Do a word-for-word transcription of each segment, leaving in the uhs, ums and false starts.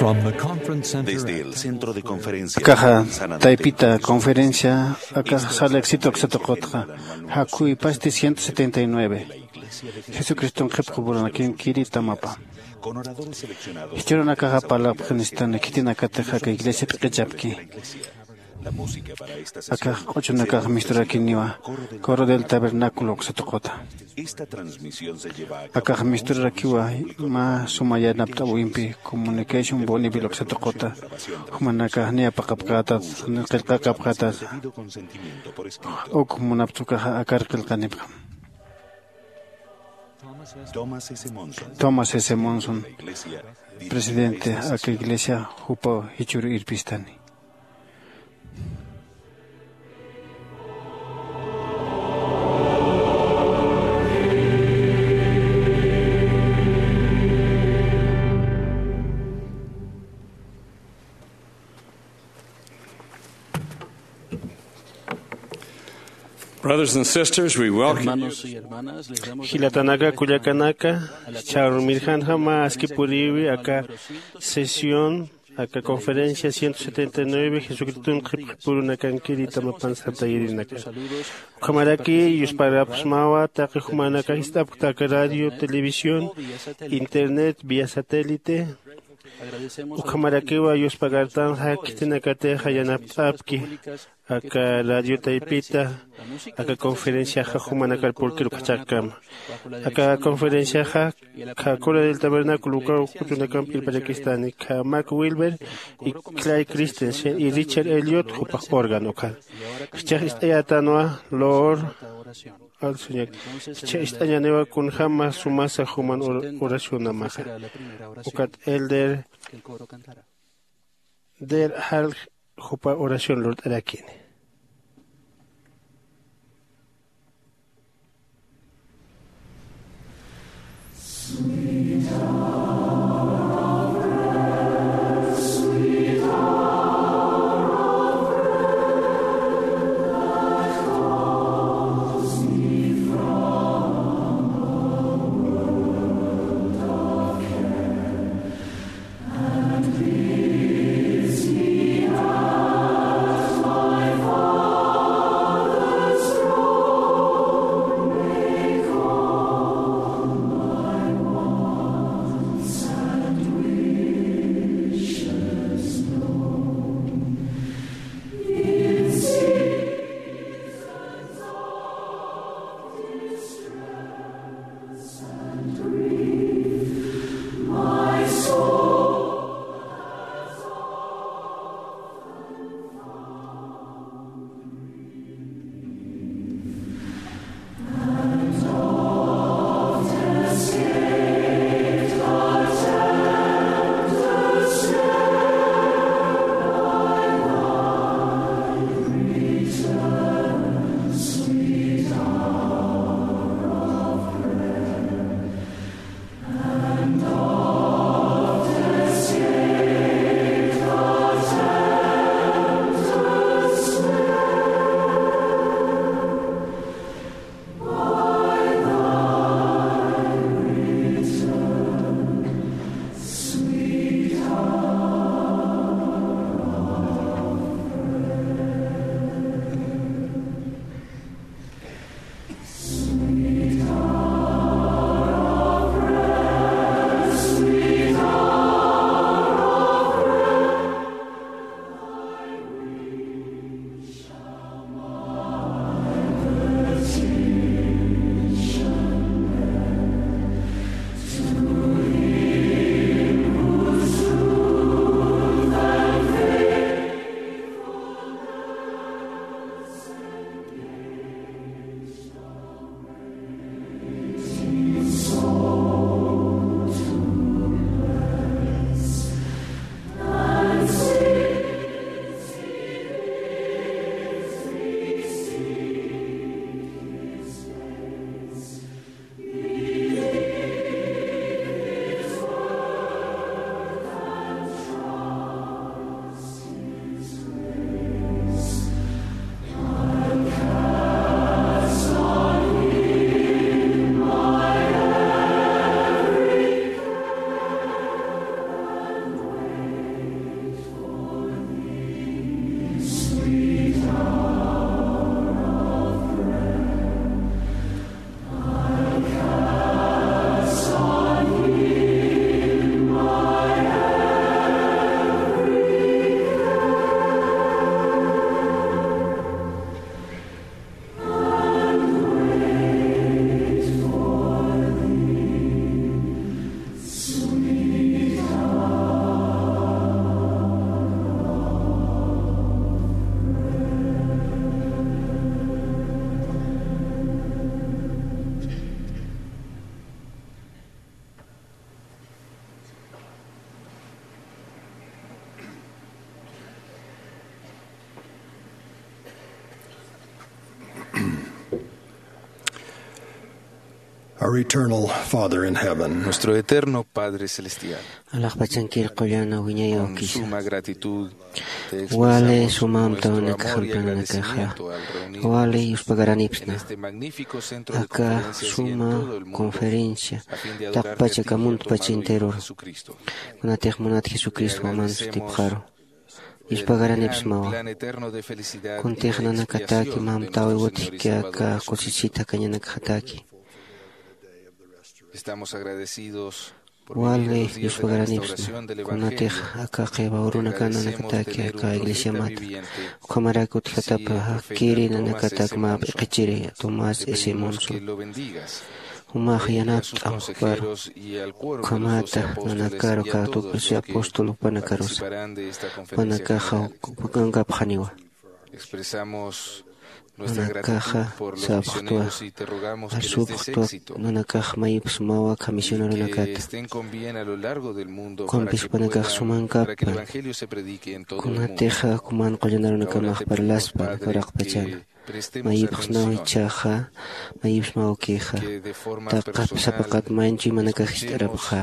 From the conference center Desde el centro de conferencia Akaxa San Andrés, taypita conferencia, akaxa sala éxito aksatuqutxa, jakhuy pasti ciento setenta y nueve. Jesucriston qhipqupuranakin kiri tamapa. Jichhürunakaxa parlapxanistan khitinakatix aka iglesia p'iqichapki. Akax q'uchunakax misturakiniwa, Coro del Tabernáculo aksatuquta. Akax misturarakiwa mä suma yanapt'awimpi, Comunication Bonneville aksatuquta. Jumanakax niyapaqapxätat, qillqaqapxätat. Uk munapxtukaxa akar qillqanipxam. Thomas S. Monson, presidente aka iglesia, jupaw jichhüru irpistani. Brothers and sisters, we welcome you. Hermanos y hermanas, les damos la Jilatanaka, bienvenida kullakanaka, a la cual ch'armirjanjama aski puriwi aka sesión, aka conferencia ciento setenta y nueve, Jesucriston qhipqipurunakankiri tamapan sartayirinaka. Ukhamaraki yusparapxsmawa taqi jumanaka jist'apkta aka radio, televisión, internet, vía satélite. Ukhamarakiwa yuspagartanxa khitinakatixa yanapt'apki aka radio taypita, aka conferenciaxa jumanakar purkir ukxachaqkama. Aka conferenciaxa kha Coro del Tabernáculo ukaw q'uchunakamp irparakistani, kha Mark Wilber y Clay Christensen y Richard Elliot jupax órgano ukhar. Jichhax ist'ayätanwa Lord Al Señor. Jichha ist'añäniwa kunjama sumasa juman or-, oracionamaxa. Ukat Elder Der Hal jupa oración lurt'arakini. Our eternal Father in heaven, Nuestro eterno Padre Celestial, alaxpachankir qullana wiñayaw con kisa suma gratitud te wali expresamos suma nuestro amtawanak amor y jamplananakaxa agradecimiento al reunirnos wali en yuspagaranipsna este magnífico centro de aka conferencia y en suma todo el mundo conferencia a fin de adorar taqpacha y a ti, kamuntpacha hermano enteror Jesucristo. Kunatix munat jesucristo waman sutipxaru yuspagaranipsmawa. Kuntix nanakataki mamtawi utjki aka kusisita kañanakxataki wali yuspagaranipsma. Kunatix aka qiwa urunakan nanakataki aka iglesiamata ukhamarak utjatapa jakiri nanakatak mä p'iqichiri tomás s monson jumax yanapt'am juparu. Ukhamata nanakaru katukusi apóstol jupanakarusa jupanakaxa jupankapxaniwa. Nanakaxa sapxtwa arsupxtwa nanakax mayipsmawa khamisionarunakata. Ukhampis jupanakax sumankappan kunatixa kuman qullanarunakamax parlaspan kawraqpachana mayipxsnaw ichhaxa mayipsmawkixa taqap sapaqat manchu imanakax ist'arapxä.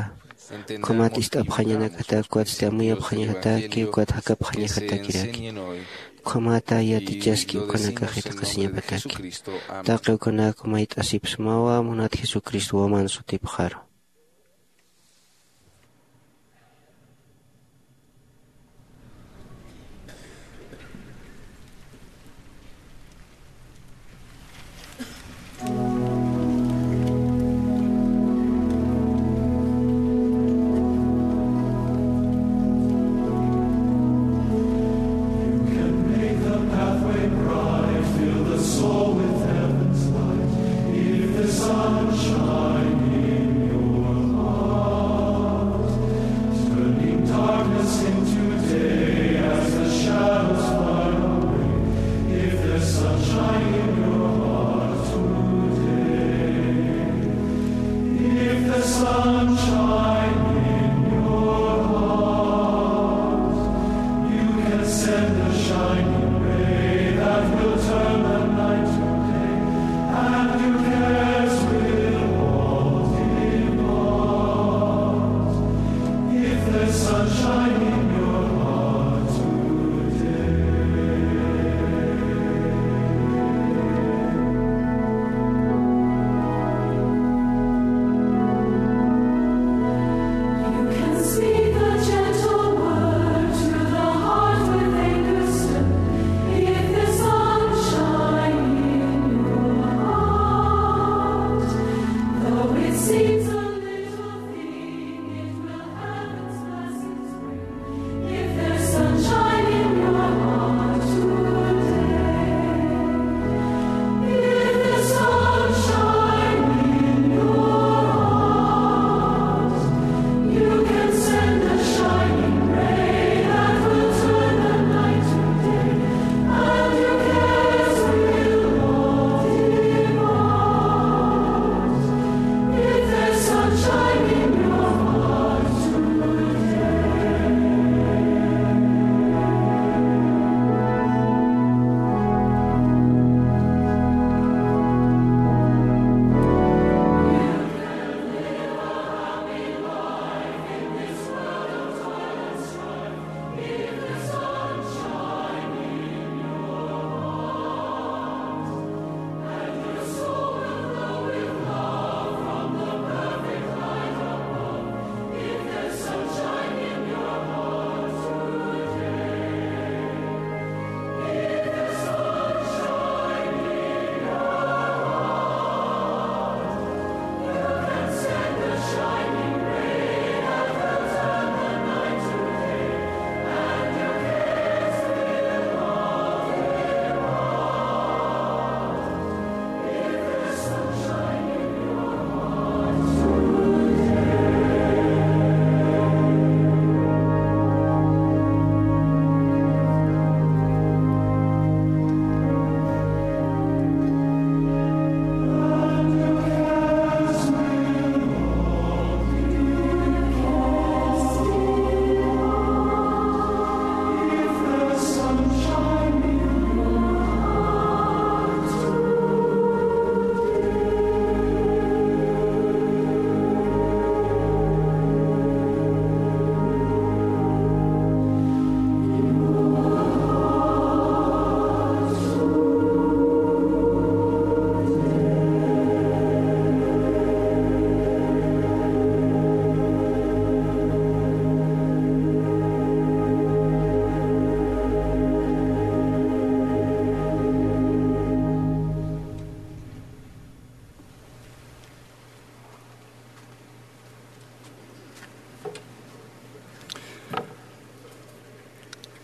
Ukhamat ist'apxañanakatak ukat amuyapxañajataki ukat jakapxañajatakiraki ukhamata yatichaski ukanakax itaqasiñapataki. Taqi ukanak mayt'asipsmawa munat jesucristo waman sutipxaru.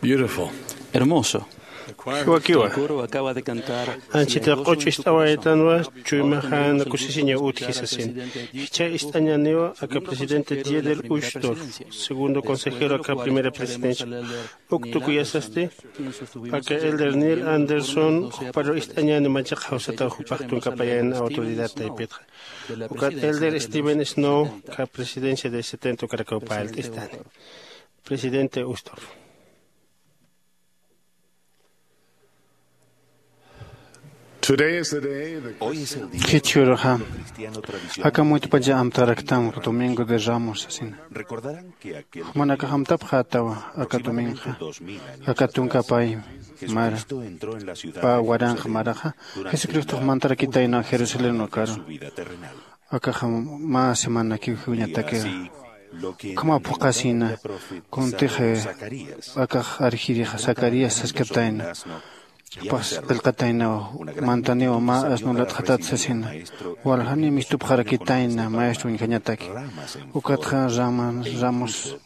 Beautiful. Hermoso. Jiwakiwa. Anchita q'uch ist'awaytanwa, chuymaxan kusisiña utji sasin. Jichha ist'añaniwa aka presidente Dieter Uchtdorf, segundo consejero aka primera presidencia. Uk tukuyasasti aka elder Neil Anderson, juparu ist'añani machaqa jawsataw jupax tunka payan autoridad taypitxa. Ukat elder Steven Snow, ka presidencia de setenta ukarakaw payalt'istani. Presidente Uchtdorf. Today is the day that Hoy es el día Jichhüruxa, cristiano tradicional aka muyt'pacha amtaraktan Domingo de Ramos sasina. Recordarán que aquel Jumanakax amtapxätawa aka domingo, aka tunka pay mara, pa waranqa maraxa, Jesucristox mantarakitayna Jerusalén ukaru. Akaxa mä semanakiw jiwañatakixa. Ukhama phuqhasina, kuntix akax arjirixa Zacarías saskatayna. Jupax qillqataynaw, mantaniw mä asno latxatat sasina. Waljani mistupxarakitayna maestro uñjañataki. Ukatxa rama, ramos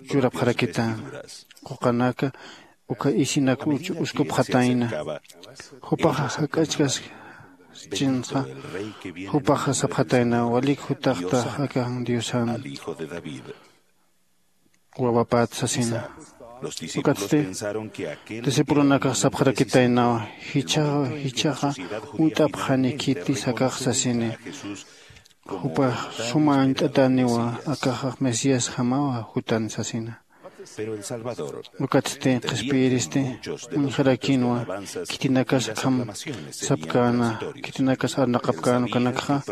churapxarakita. Quqanaka uka isinak uch-, uskupxatayna. Jupaxa jak'achkaskchinxa, jupaxa sapxatayna, walik jutaxtax aka Diosan wawapat sasina. Ukatsti discipulonakax sapxarakitaynawa, jichhaxa, jichhaxa uñt'apxani khitis akax sasini. Jupax suma uñt'atäniwa, akax Mesíasjamawa jutan sasina. Ukatsti qhispiyiristi uñjarakinwa, khitinakas akham sapkäna, khitinakas arnaqapkäna ukanakxa,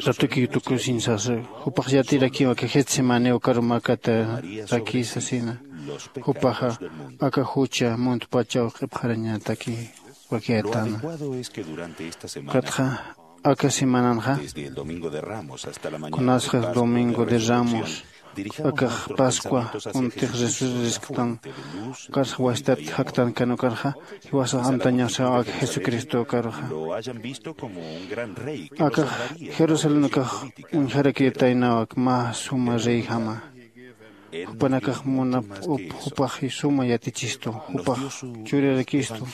ratukiw tukusiñ sasa, jupax yatirakiwa aka Getsemaní ukaru mäkataraki sasina. Jupaxa aka jucha muntpachaw q'ipxarañataki wakiyätana. Ukatxa, aka semananxa, kunasxa Domingo de Ramos, akax Pascua, kuntix resurrección, ukarsa wasitat jaktan kan ukarxa, jiwasax amtañasaw aka Jesucristo ukaruxa. Akax Jerusalén ukax uñjarakitaynaw ak mä suma reyjama. Jupanakax munap up, jupax suma yatichistu, jupax churirakistu.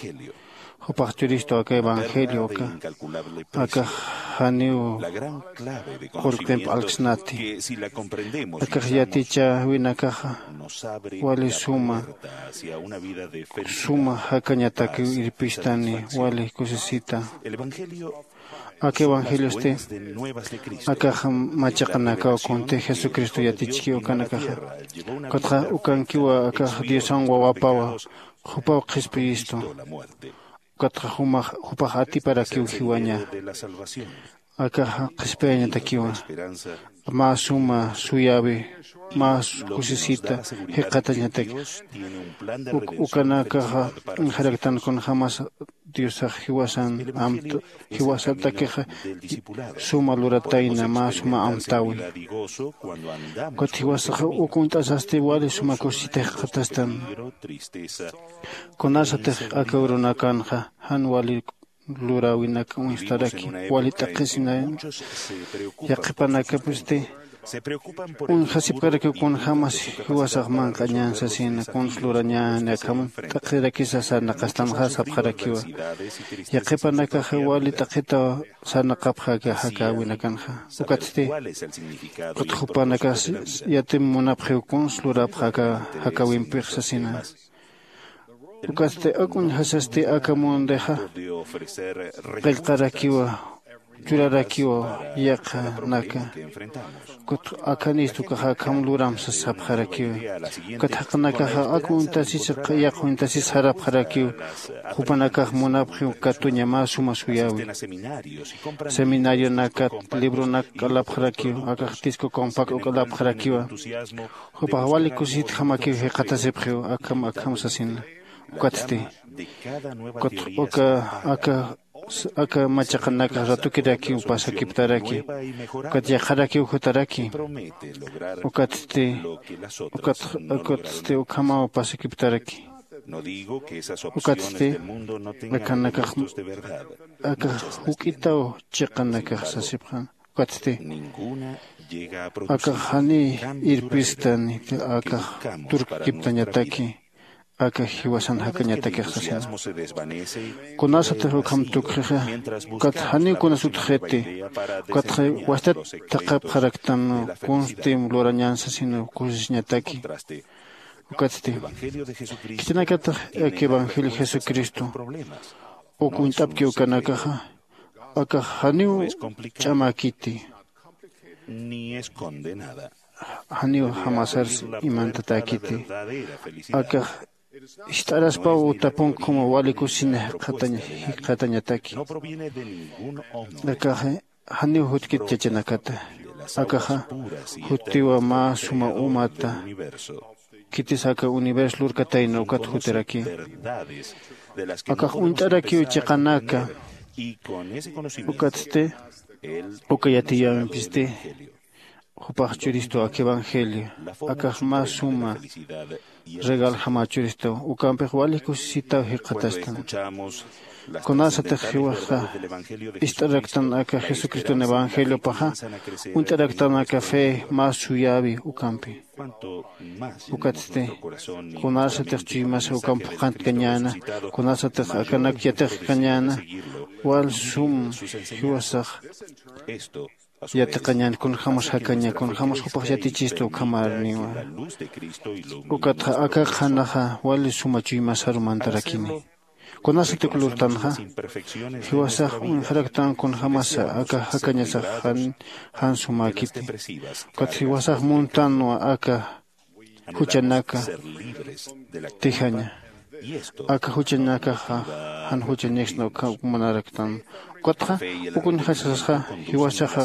Jupax churistu aka evangelio uka, akax janiw qurqimp alksnati. Akax yatichäwinakaxa wali suma, suma jakañatakiw irpistani, wali kusisita. Aka evangeliosti akax machaqanakaw kuntix Jesucristo yatichkiw ukanakaxa. Ukatxa ukankiwa akax Diosan wawapawa, jupaw qhispiyistu. Ukatxa jumax, jupax atiparakiw jiwaña. Akaxa qhispiyañatakiwa. Mä suma suyäwi, mä kusisita jikxatañataki. Uk-, ukanakaxa uñjaraktan kunjämas Diosax jiwasan amt-, jiwasatakixa suma luratayna, mä suma amtäwi. Ukat jiwasaxa uk uñt'asasti wali suma kusisita jikxatastan. Kunasatix aka urunakanxa jan wali luräwinak uñstaraki, wali t'aqhisina, yaqhipanakapisti uñjasipkarakiw kunjämas jiwasax manq'añän sasina, kuns lurañäni, akham t'aqhirakisa sarnaqastanxa sapxarakiwa. Yaqhipanakaxa wali t'aqhitaw sarnaqapxa aka jakäwinakanxa. Ukatsti, ukat jupanakax yatim munapxiw kuns lurapxa aka jakäwimpix sasina. Ukatsti uk uñjasasti aka mundixa qillqarakiwa, churarakiwa yaqhanaka. Ukat akhanistu ukaxa akham luram sas sapxarakiwa. Ukat jaqinakaxa uk uñtasis, yaqha uñtasis sarapxarakiw, jupanakax munapxiw katuña mä suma suyäwi. Seminarionakat libronak k'alapxarakiw, akax disco compacto k'alapxarakiwa. Jupax wali kusisitjamakiw jikxatasipxiw, akham, akham sasina. Ukatsti, ukat uka, aka, aka machaqanakax ratukirakiw pasakiptaraki. Ukat yaqharakiw jutaraki. Ukatsti, ukat, ukatsti ukhamaw pasakiptaraki. Ukatsti, akanakax, akax juk'itaw chiqanakax sasipxan. Ukatsti akax janiy irpistani akax turkiptañataki aka jiwasan jakañatakix sasina. Kunasatix ukham tukxixa ukat janiw kunas utjxiti. Ukatxa wastat thaqhapxaraktan kunstim lurañän sasina kusisiñataki. Ukatsti khitinakatix aka evangelio jesucristo uk uñt'apki ukanakaxa akax janiw ch'amäkiti. Janiw jamasars imantatäkiti. Akax ist'araspaw utapunk juma wali kusisina jikxatañataki. Akaxa janiw jutkit chachanakata. Akaxa juttiwa mä suma umata khitis aka universo lurkatayna ukat jutiraki. Akax uñt'arakiw chiqanaka. Ukatsti uka yatiyäwimpisti jupax churistu aka evangelio. Akax mä suma regaljama churistu ukampix wali kusisitaw jikxatastan. Kunasatix jiwaxa ist'araktan aka jesucriston evangeliopaxa uñt'araktan aka fe mä suyäwi ukampi. Ukatsti kunasatix chuymasa ukamp phuqhantkañäna kunasatix akanak yatixkañäna wal sum jiwasax yatiqañän kunjämas jakaña kunjämas jupax yatichistu ukhamarniwa. Ukatxa aka qhanaxa wali suma chuymasaru mantarakini. Kunasat uk lurtanxa jiwasax uñjaraktan kunjämasa aka jakañasax jan sumäkiti. Ukat jiwasax muntanwa aka juchanaka tijaña. Aka juchanakaxa jan juchañaksna uka manaraktan. Ukatxa uk uñjasasxa jiwasaxa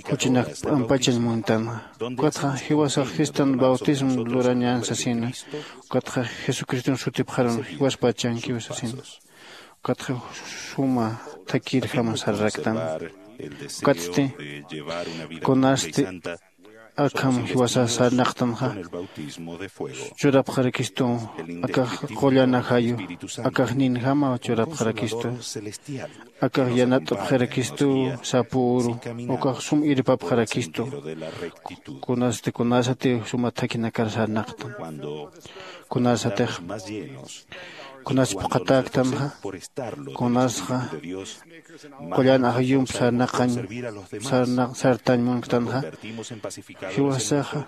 juchanak p'ampachañ muntanxa. Ukatxa jiwasax jistan bautismo lurañän sasina. Ukatxa jesucriston sutipxarun jiwaspachankiw sasina. Ukatxa suma thakirjam sararaktan. Ukatsti kunasti akham jiwasas sarnaqtanxa churapxarakistu. Akax qullan ajayu akax ninjama churapxarakistu. Akax yanat'apxarakistu sapüru ukax sum irpapxarakistu. Kunasti kunasati suma thakhinakar sarnaqtan. Kunasatix kunas phuqhatäktanxa kunasxa qullan ajayump sarnaqañ sartañ munktanxa jiwasaxa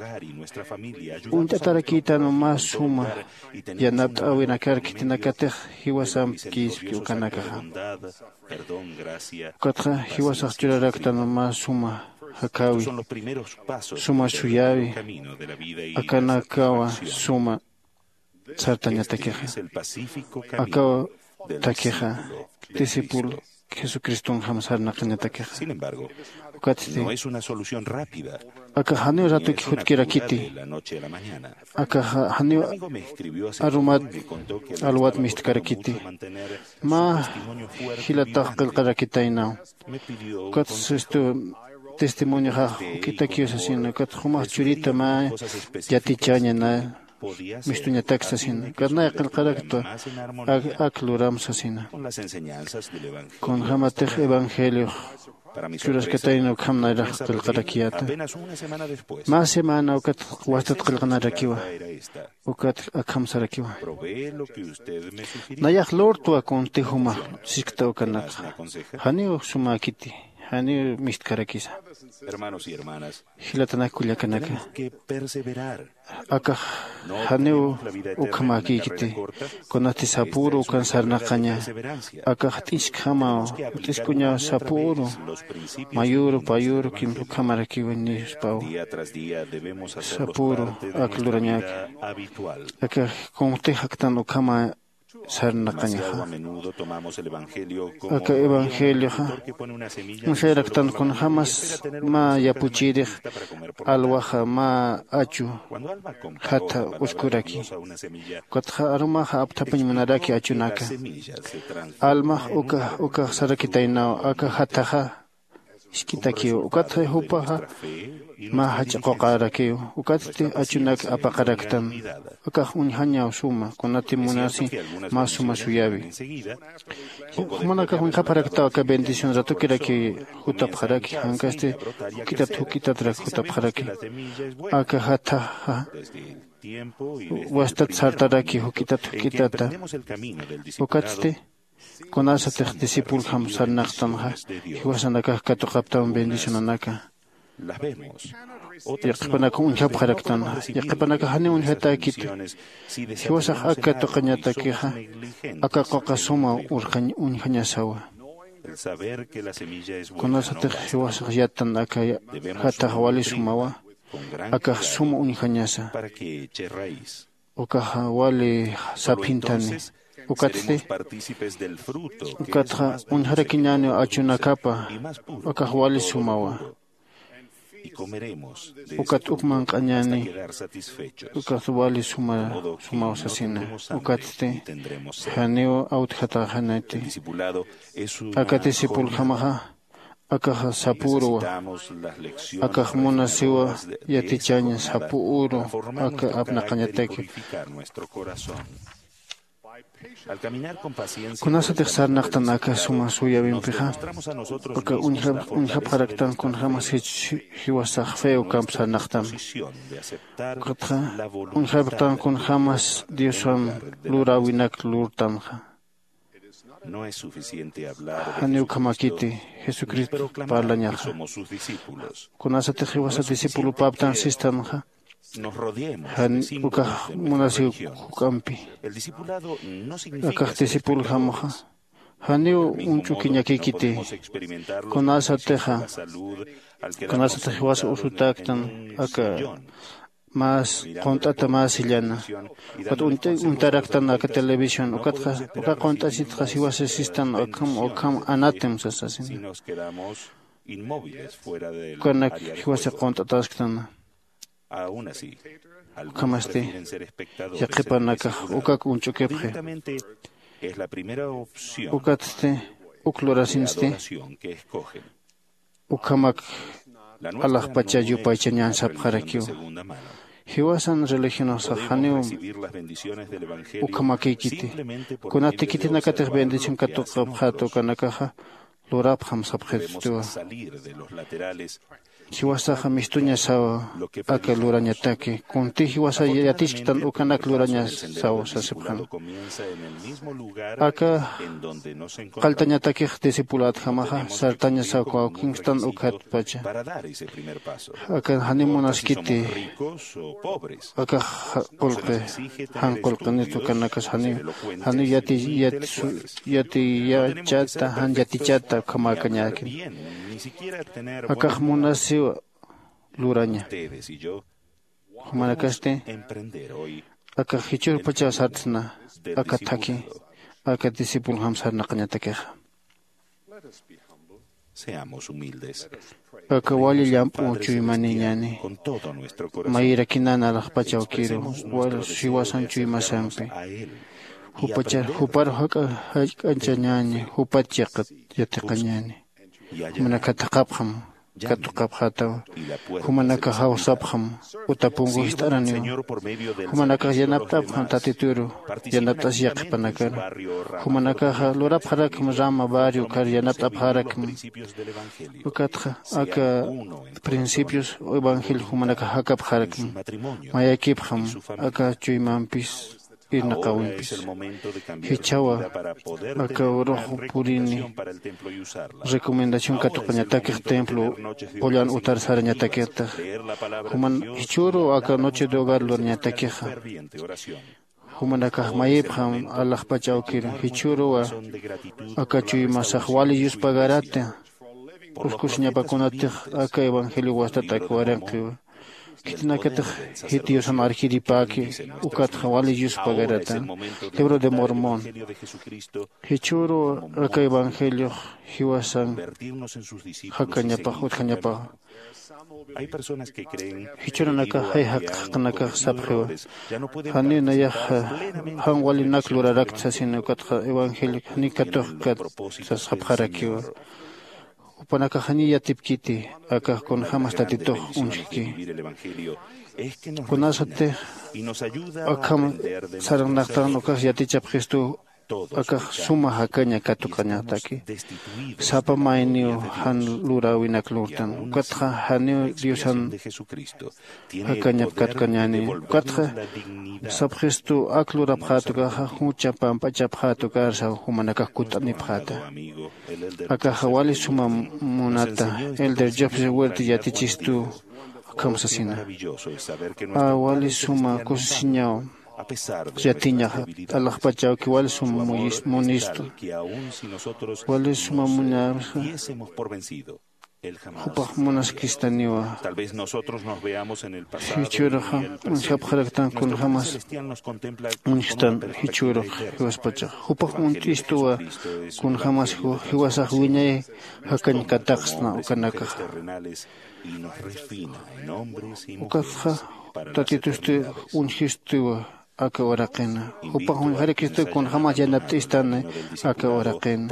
uñt'atarakïtan mä suma yanapt'äwinakar khitinakatix jiwasamp kïspki ukanakaxa. Ukatxa jiwasax churaraktan mä suma jakäwi suma suyäwi akanakawa suma sartañatakixa. Akaw takixa discípulo jesucristonjam sarnaqañatakixa. Ukatsti akax janiw ratuki jutkirakiti. Akax janiw arumat alwat mistkarakiti. Mä jilatax qillqarakitaynaw. Ukatsti testimonioxax juk'itakiw sasina ukat jumax churita mä yatichäñana mistuñatak sasina. Ukat nay qillqaraktwa ak luram sasina. Kunjämatix evangeliox churaskatayna ukham nayrax qillqarakiyäta. Mä semana ukat wastat qillqanarakiwa. Ukat akham sarakiwa. Nayax lurtwa kunti jumax siskta ukanakxa. Janiw sumäkiti janiw mistkarakisa. Jilatanak kullakanaka akax janiw ukhamäkïkiti. Kunasti sapüru ukan sarnaqaña akax t'iskjamaw t'isk'uñaw sapüru mayüru payüru kimsa ukhamarakiw nispaw. Sapüru ak lurañäki akax kunjtix jaktan ukhama sarnaqañaxa. Aka evangelioxa uñjayaraktan kunjämas mä yapuchirix alwaxa mä achu jatha uskuraki. Ukatxa arumaxa apthapañ munaraki achunaka. Almax ukax ukax sarakitaynaw aka jathaxa isk'itakiw. Ukatxa jupaxa mä jach'a quqarakiw. Ukatsti achunak apaqaraktan. Akax uñjañaw suma kunati munasi mä suma suyawi. Jumanakax uñjapxaraktaw aka bendición ratukiraki jutapxaraki, jankasti juk'itat juk'itatrak jutapxaraki. Aka jathaxa wastat sartaraki juk'itat juk'itata. Ukatsti kunasatix discipuljam sarnaqtanxa, jiwasanakax katuqaptam bendicionanaka. Yaqhipanakax uñjapxaraktanxa, yaqhipanakax janiw uñjatäkiti. Jiwasax ak katuqañatakixa aka quqa suma urqañ uñjañasawa. Kunasatix jiwasax yattan aka jathax wali sumawa, akax suma uñjañasa. Ukaxa wali saphintani. Ukatsti ukatxa uñjarakiñäniw achunakapa. Akax wali sumawa. Ukat uk manq'añäni. Ukat wali suma sumaw sasina. Ukatsti janiw awtjatäxaniti. Aka discipuljamaxa akaxa sapüruwa. Akax munasiwa yatichañ sapüru aka apnaqañatakir. Kunasatix sarnaqtan aka suma suyawimpixa, aka uñjapxaraktan kunjämas jiwasax fe ukamp sarnaqtan. Ukatxa uñjapxtan kunjämas diosan luräwinak lurtanxa. Janiw ukhamakiti jesucristo parlañaxa. Kunasatix jiwasa discipulopaptan sistanxa, jan ukax munasiw juk'ampi. Akax discipuljamaxa janiw uñch'ukiñakikiti. Kunasatixa kunasatix jiwasa usutäktan aka más qunt'ata mä sillana. Ukat uñtaraktan aka televisión ukatxa uka qunt'asitxa jiwasa sistan ukham ukham anatem sasasina. Ukanak jiwasa qunt'atasktan. Ukhamasti yaqhipanakax ukak uñch'ukipxi. Ukatsti uk lurasinsti ukhamak alaxpacha yupaychañän sapxarakiwa. Jiwasan religionaxsax janiw ukhamakïkiti. Kunati khitinakatix bendición katuqapxäta ukanakaxa lurapxam sapxitutiwa. Jiwasaxa mistuñasawa aka lurañataki kunti jiwasa yatichktan ukanak lurañasaw sasipxan. Aka qalltañatakix discipulätjamaxa sartañasaw kawkinktan ukhatpacha. Aka janiw munaskiti aka qullqi jan qullqinit ukanakas janiw janiw yati yati yatiyachata jan yatichata ukhamäkañäkin. Akax munasiw luraña. Jumanakasti akax jichhürpachaw sart'sna aka thakhi aka discipuljam sarnaqañatakixa. Aka wali llamp'u chuymaniñäni. Mayirakinan alaxpach awkiru wal jiwasan chuymasampi jupachar jupar jak'a jachk'achañäni jupat chiqat yatiqañäni. Jumanaka thaqhapxam katuqapxätaw. Jumanaka jawsapxam uta punku jist'araniw. Jumanakax yanapt'apxam tatituru yanapt'as yaqhipanakar. Jumanakaxa lurapxarakxam rama barrio kar yanapt'apxarakxam. Ukatxa aka principios evangelio jumanakax jakapxarakxam. Mayakipxam aka chuymampis irnaqawimpis. Jichhawa aka uruxu purini recomendación katuqañatakix templo qullan utar sarañatakixtix. Juman jichhüruw aka noche de hogar lurañatakixa. Jumanakax mayipxam alaxpach awkir jichhüruwa aka chuymasax wali yuspagarata. Uskusiñapakunatix aka evangelio wastatak waranqiwa. Khitinakatix jit diosan arjiripäki ukatxa wali yuspagarata. Libro de mormón. Jichhüruw aka evangeliox jiwasan jakañapax utjañapax. Jichhürunakax jay jaq'aqnakax sapxiwa. Janiw nayax jan walinak lurarakt sasina ukatxa evangelio janiw katuqkat sasxapxarakiwa. jupanakax janiy yatipkiti, akax kunjämas Tatitux uñjki. Kunasatix akham sarnaqtan ukax yatichapxistu, akax suma jakaña katuqañataki. Sapa mayniw jan luräwinak lurtan, ukatxa janiw Diosan jakañap katuqañäni. Ukatxa sapxistu ak lurapxät ukaxa, jucha pamp'achapxät ukarsa jumanakax kutt'anipxäta. Akaxa wali suma munata. Elder Joseph Huerta yatichistu akham sasina. A, wali suma kusisiñaw yatiñaxa, t'alajpachawki wali suma muyis-, munistu. Wali suma muñäwsa, jupax munaskistaniwa. Jichhüruxa uñjapxaraktan kunjämas uñjstan jichhürux jiwaspachax. Jupax uñt'istuwa kunjämas ju-, jiwasax wiñay jakañ kataqsna ukanakaxa. Ukatxa Tatitusti uñjistiwa aka uraqina. Jupax uñjarakistu kunjämas yanapt'istani aka uraqina.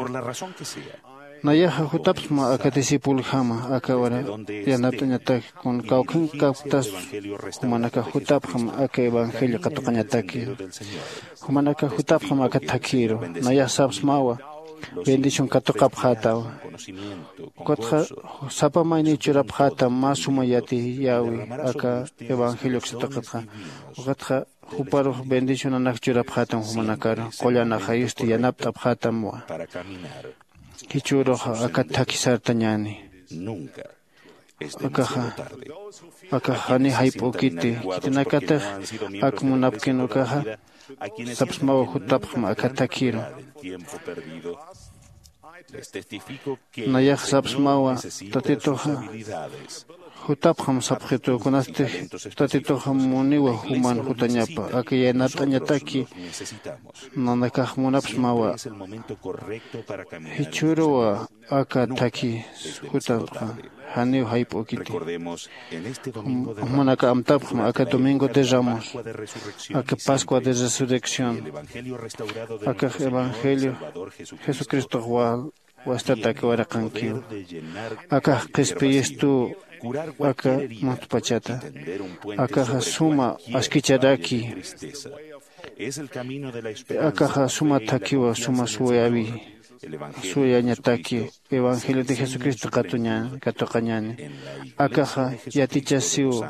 Nayaxa jutapxsma aka discipuljama aka ura yanapt'añatak kun kawkhankapktas jumanakax jutapxam aka evangelio katuqañataki. Jumanakax jutapxam aka thakhiru. Nayax sapsmawa bendición katuqapxätawa. Ukatxa sapa mayniw churapxätam mä suma yatiyäwi aka evangelio uksa tuqitxa. Ukatxa juparux bendicionanak churapxätam jumanakaru, qullan ajayusti yanapt'apxätamwa. Jichhüruxa aka thakhi sartañäni. Akaxa, akax jani jayp'ukiti, khitinakatix ak munapkin ukaxa, sapsmawa jutapxma aka thakhiru. Nayax sapsmawa Tatituxa jutapxam sapxitu, kunasti Tatituxa muniwa juman jutañapa, aka yanapt'añataki nanakax munapxsmawa. Jichhüruwa aka thakhi jutapxa, janiw jayp'ukiti. Jum-, jumanaka amtapxma aka Domingo de Ramos, aka Pascua de Resurrección, akax evangelio Jesucristox wal wastatak waraqankiw. Akax qhispiyistu aka muntpachata. Akaxa suma askicharaki. Akaxa suma thakhiwa, suma suyawi, suyañataki evangelio de Jesucristo katuña-, katuqañäni. Akaxa yatichasiw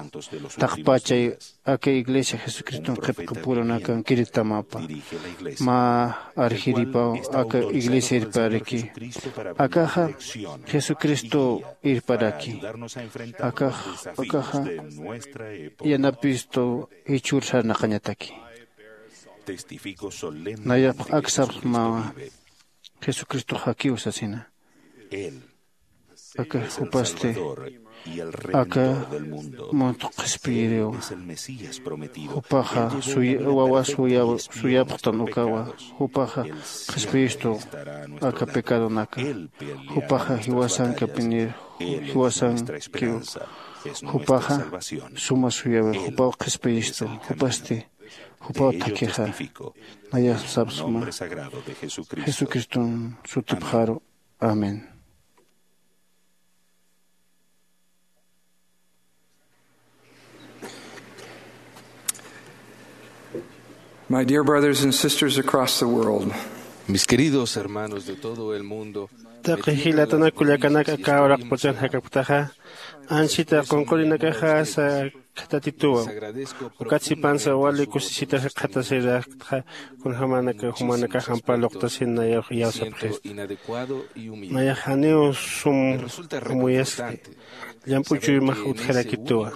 taqpachay aka iglesia Jesucriston qhipqipurunakankiritamapa. Mä arjiripaw aka iglesia irparaki. Akaxa Jesucristo irparaki. Akax, akaxa yanapistu jichhür sarnaqañataki. Nayax ak sapxmawa Jesucristox jakiw sasina. Aka jupasti aka muntx qhispiyiriw. Jupaxa suy-, wawa suya-, suyapxtan ukawa. Jupaxa qhispiyistu aka pecadonaka. Jupaxa jiwasankapinir, jiwasankiw. Jupaxa suma suyawi, jupaw qhispiyistu, jupasti, jupaw thakhixa. Nayax sapxsma Jesucriston sutipxaru. Amén. My dear brothers and sisters across the world, Mis queridos hermanos de todo el mundo, taqi jilatanak kullakanak aka uraqpachan jakapktaxa, anchita qunqurinakaxa asa khatatituwa. Ukat sipansa wali kusisita jikxatasiraktxa, kunjamanaka jumanakax ampa luqtasin nayax iyawsapxista. Nayax janiw sum amuyaskti, llamp'u chuymax utjarakituwa.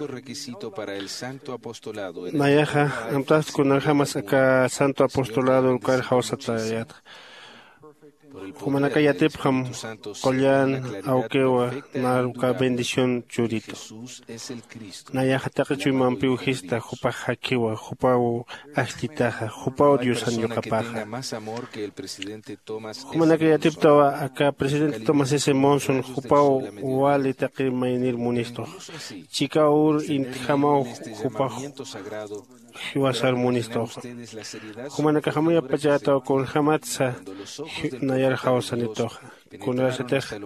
Nayaxa amtast kunjamas aka santo apostolado ukar jawsatayatxa. Jumanaka yatipxam qullan awkiwa, nar uka bendición churitu. Nayaxa taqi chuymampiw jista, jupax jakiwa, jupaw ajllitaxa, jupaw Diosan yuqapaxa. Jumanaka yatiptawa aka presidente Thomas S. Monson, jupaw wali taqi maynir munistux. Chikaw ur intjamaw jupax jiwasar munistuxa. Jumanakax amuyapachätaw kunjamatsa ji-, Nayar jawsanituxa. Kunasatix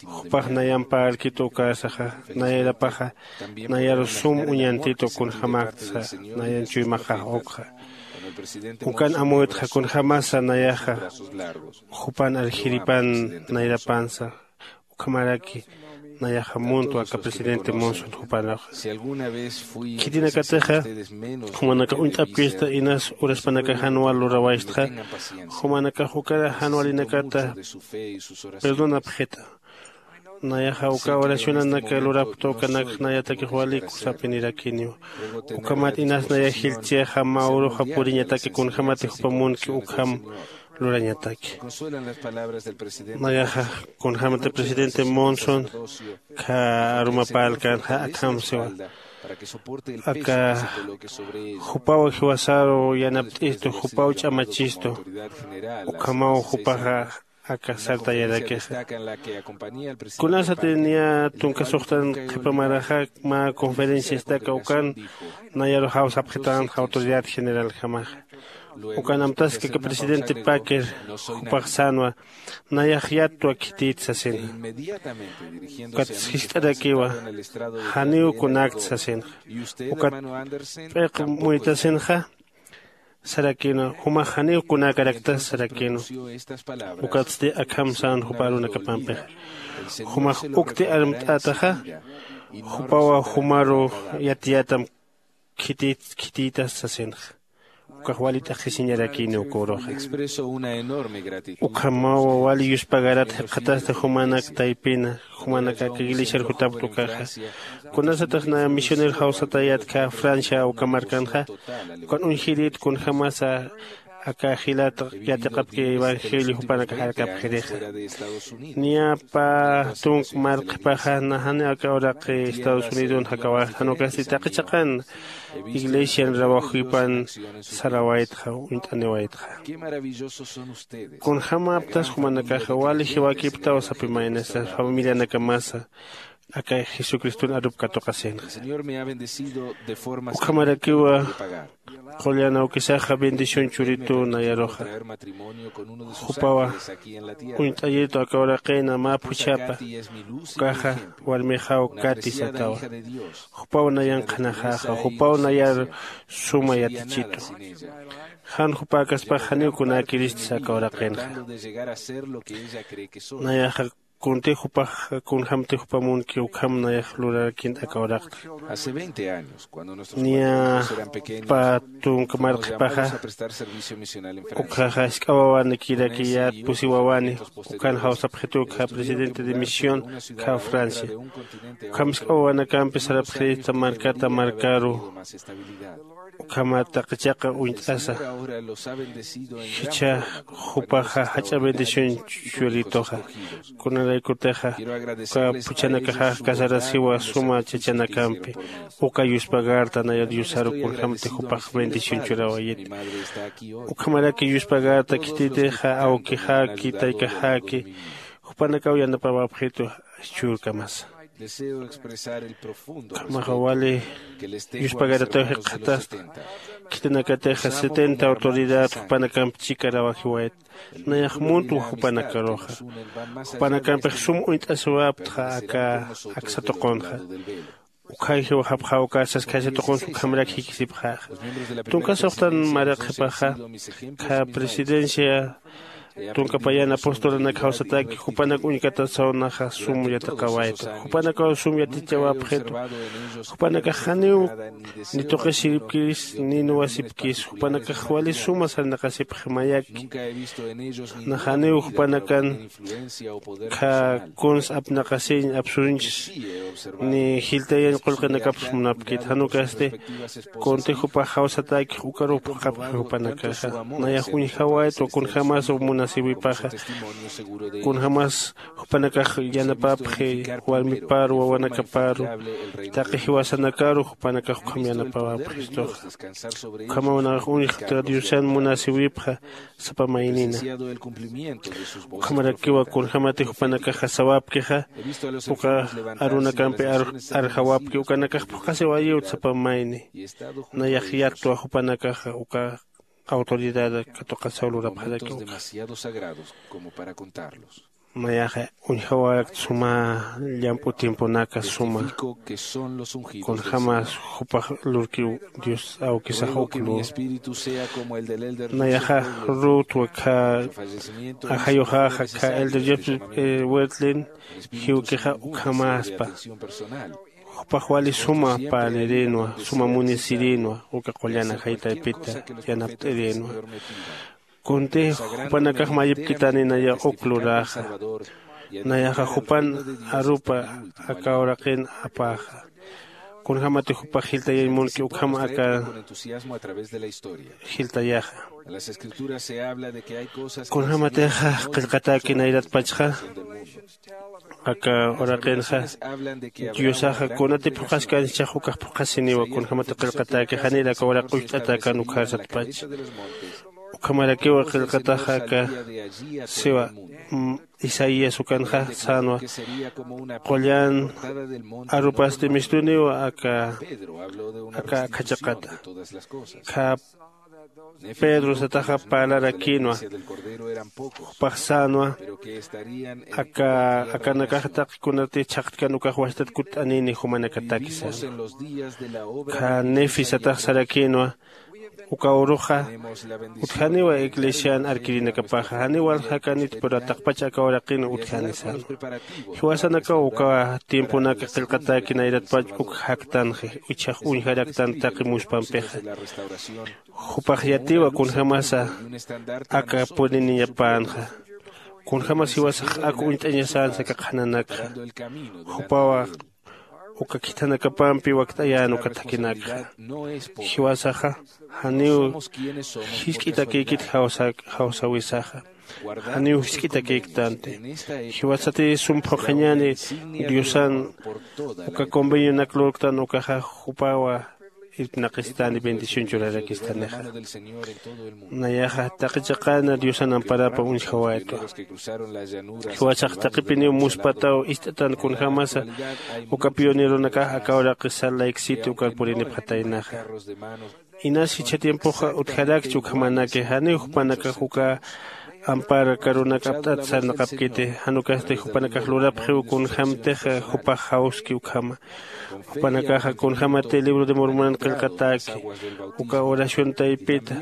jupax nayampa alkitu ukasaxa, nayarapaxa nayaru sum uñantitu kunjämaktsa nayan chuymaxax ukxa. Ukan amuytxa kunjämasa nayaxa jupan aljiripan nayrapansa. Ukhamaraki nayaxa muntwa aka presidente Monson jupanxa. Khitinakatixa jumanakax uñt'apkista inas uraspanakax jan wal lurawaystxa, jumanakax ukara jan walinakata perdonapxita. Nayaxa uka oracionanak lurapkta ukanakx nayatakix wali kusapinirakiniw. Ukhamat inas nayax jilchsixa mä uruxa puriñataki kunjämati jupa munki ukham lurañataki. Nayaxa kunjämati presidente Monson kha arumapärkänxa akham siwa. Aka jupaw jiwasaru yanapt'istu, jupaw ch'amachistu, ukhamaw jupaxa aka sartayarakixa. Kunasati niya tunka suxtan qhipa maraxa mä conferenciastaka ukan nayaru jawsapxitänxa autoridad generaljamaxa. Ukan amtaski aka presidente Packer jupax sänwa, nayax yattwa khitït sasinxa. Ukat jiskt'arakiwa, janiw kunakt sasinxa. Ukat p'iq muytasinxa sarakïnwa, jumax janiw kunäkarakta sarakïnwa. Ukatsti akham sän jupa arunakapampixa. Jumax ukti armt'ätaxa, jupawa jumaru yatiyätam khitït khitïtas sasinxa. Ukax wali t'aqhisiñarakïni uka uruxa. Ukhamaw wali yuspagarat jikxatasti jumanak taypina, jumanak aka iglesiar jutapkta ukaxa. Kunasatix na misionero jawsatayät kha Francia uka markanxa, ukan uñjirit kunjämasa aka jilat yatiqapki evangelio jupanakax arkapxirixa. Niya pä tunk mar qhipaxa na janiw aka uraqi Estados Unidon jakawax, jan ukasti taqi chiqan iglesian rawajupan sarawaytxa, uñt'aniwaytxa. Kunjämaptas jumanakaxa wali jiwakiptaw sapi maynasa familianakamasa aka Jesucriston arup katuqasinxa. Ukhamarakiwa qullan awkisaxa bendición churitu nayaruxa. Jupawa uñt'ayitu aka uraqina mä phuchhapa. Ukaxa warmixaw Kati satawa. Jupaw nayan qhanaxäxa, jupaw nayar suma yatichitu. Jan jupäkaspax janiw kunäkiristsa aka uraqinxa. Nayaxa kuntix jupax kunjämtix jupa munki ukham nayax lurarakïnta aka uraqta. Niya pä tunka mar qhipaxa ukhaxa jisk'a wawanikirakiya, pusi wawani, ukan jawsapxitu ukha presidente de misión kha Francia. Ukham jisk'a wawanakampi sarapxirista markata markaru. Ukhamat taqi chiqa uñt'asa. Jichha jupaxa jach'a bendición churituxa. Kunaraykutixa uka phuchhanakaxax casarasiwa suma chachanakampi. Uka yuspagarta nayar Diosaru kunjämti jupax bendición churawayit. Ukhamaraki yuspagarta khititixa awkixaki, taykaxaki, jupanakaw yanapawapxitu churkamasa. Ukhamaxa wali yuspagarataw jikxatasta. Khitinakatixa setenta autoridad jupanakamp chikarawajiwayt. Nayax muntwa jupanakaruxa. Jupanakampix sum uñt'asiwaptxa aka aksa tuqunxa. Ukhayjiw japxaw uka saskjasi tuqunsa ukhamarak jikisipxäxa. Tunka suxtan maraq qhipaxa kha presidencia tunka payan apostolanak jawsataki jupanak uñkatasaw naxa sum yatiqawaytu. Jupanakaw sum yatichawapxitu. Jupanakax janiw ni tuqisiripkis ni nuwasipkis. Jupanakax wali suma sarnaqasipxi mayaki. Nax janiw jupanakan kha kuns apnaqasiñ apsunchis ni jiltayañ qullqinakaps munapkit. Jan ukasti kunti jupax jawsatäkix ukaruw phuqhapxi jupanakaxa. Nayax uñjawaytwa kunjämas munasiwipaxa. Kunjämas jupanakax yanapapxi warmiparu wawanakaparu taqi jiwasanakaru jupanakax ukham yanapawapxistuxa. Ukhamaw nayax uñjta Diosan munasiwipxa sapa maynina. Ukhamarakiwa kunjämati jupanakaxa sawapkixa uka arunakampi ar- arjawapki ukanakax phuqhasiwayiwt sapa mayni. Nayax yattwa jupanakaxa uka autoridad katuqasaw lurapxaraki uka. Nayaxa uñjawarakta suma llamp'u tiemponaka suma kunjämas jupax lurkiw. Dios awkisax uk lur nayaxa ruutwa khä ajayuxaxa khä elder joseph wertlin jiwkixa ukhamäspa. Jupax wali suma parlirinwa suma munisirinwa uka qullan ajay taypita yanapt'irinwa. Kunti jupanakax mayipkitani naya uk luräxa. Nayaxa jupan arupa aka uraqin apäxa. Kunjämati jupax jiltayañ munki ukham aka jiltayaxa. Kunjämatixa qillqatäki nayratpachxa aka uraqinxa diosaxa kunatip phuqhaskanchax ukax phuqhasiniwa kunjämati qillqatäki janir aka uraq ucht'atäkän ukharsatpach. Ukhamarakiwa qillqataxa aka siwa isaías ukanxa sänwa qullan arupasti mistuniwa aka aka akhachaqata. Khä pedro sataxa parlarakïnwa jupax sänwa aka akanakax taqi kunati chhaqtkan ukax wastat kutt'anini jumanakataki sänwa. Khä nefi satax sarakïnwa uka uruxa utjaniwa iglesian arkirinakapaxa janiw waljakanit pero taqpach aka uraqin utjani sänwa. Jiwasanakaw uka tiemponak qillqatäki nayratpach uk jaktanxi ichhax uñjaraktan taqi muspampixa. Jupax yatiwa kunjämasa aka puriniñapänxa kunjämas jiwasax ak uñt'añasänsa aka qhananakxa. Jupawa uka khithanakapampi wakt'ayän uka thakinakxa. Jiwasaxa janiw jisk'itakïkit jawsäwisaxa. Janiw jisk'itakïktanti. Jiwasati sum phuqhañäni diosan uka convenionak lurktan ukaxa jupawa irpnaqistäni bendición churarakistänixa. Nayaxa taqi chiqana diosan amparapa uñjawaytwa. Jiwasax taqipiniw muspataw ist'atan kunjämasa uka pioneronakax aka uraqi salt lake city ukar purinipxataynaxa. Inas jichha tiempoxa utjarakchi ukhamanaki janiw jupanakax uka ampar karunak apt'at sarnaqapkiti. Jan ukasti jupanakax lurapxiw kunjämtixa jupax jawski ukhama. Jupanakaxa kunjämati libro de mormonan qillqatäki uka oración taypita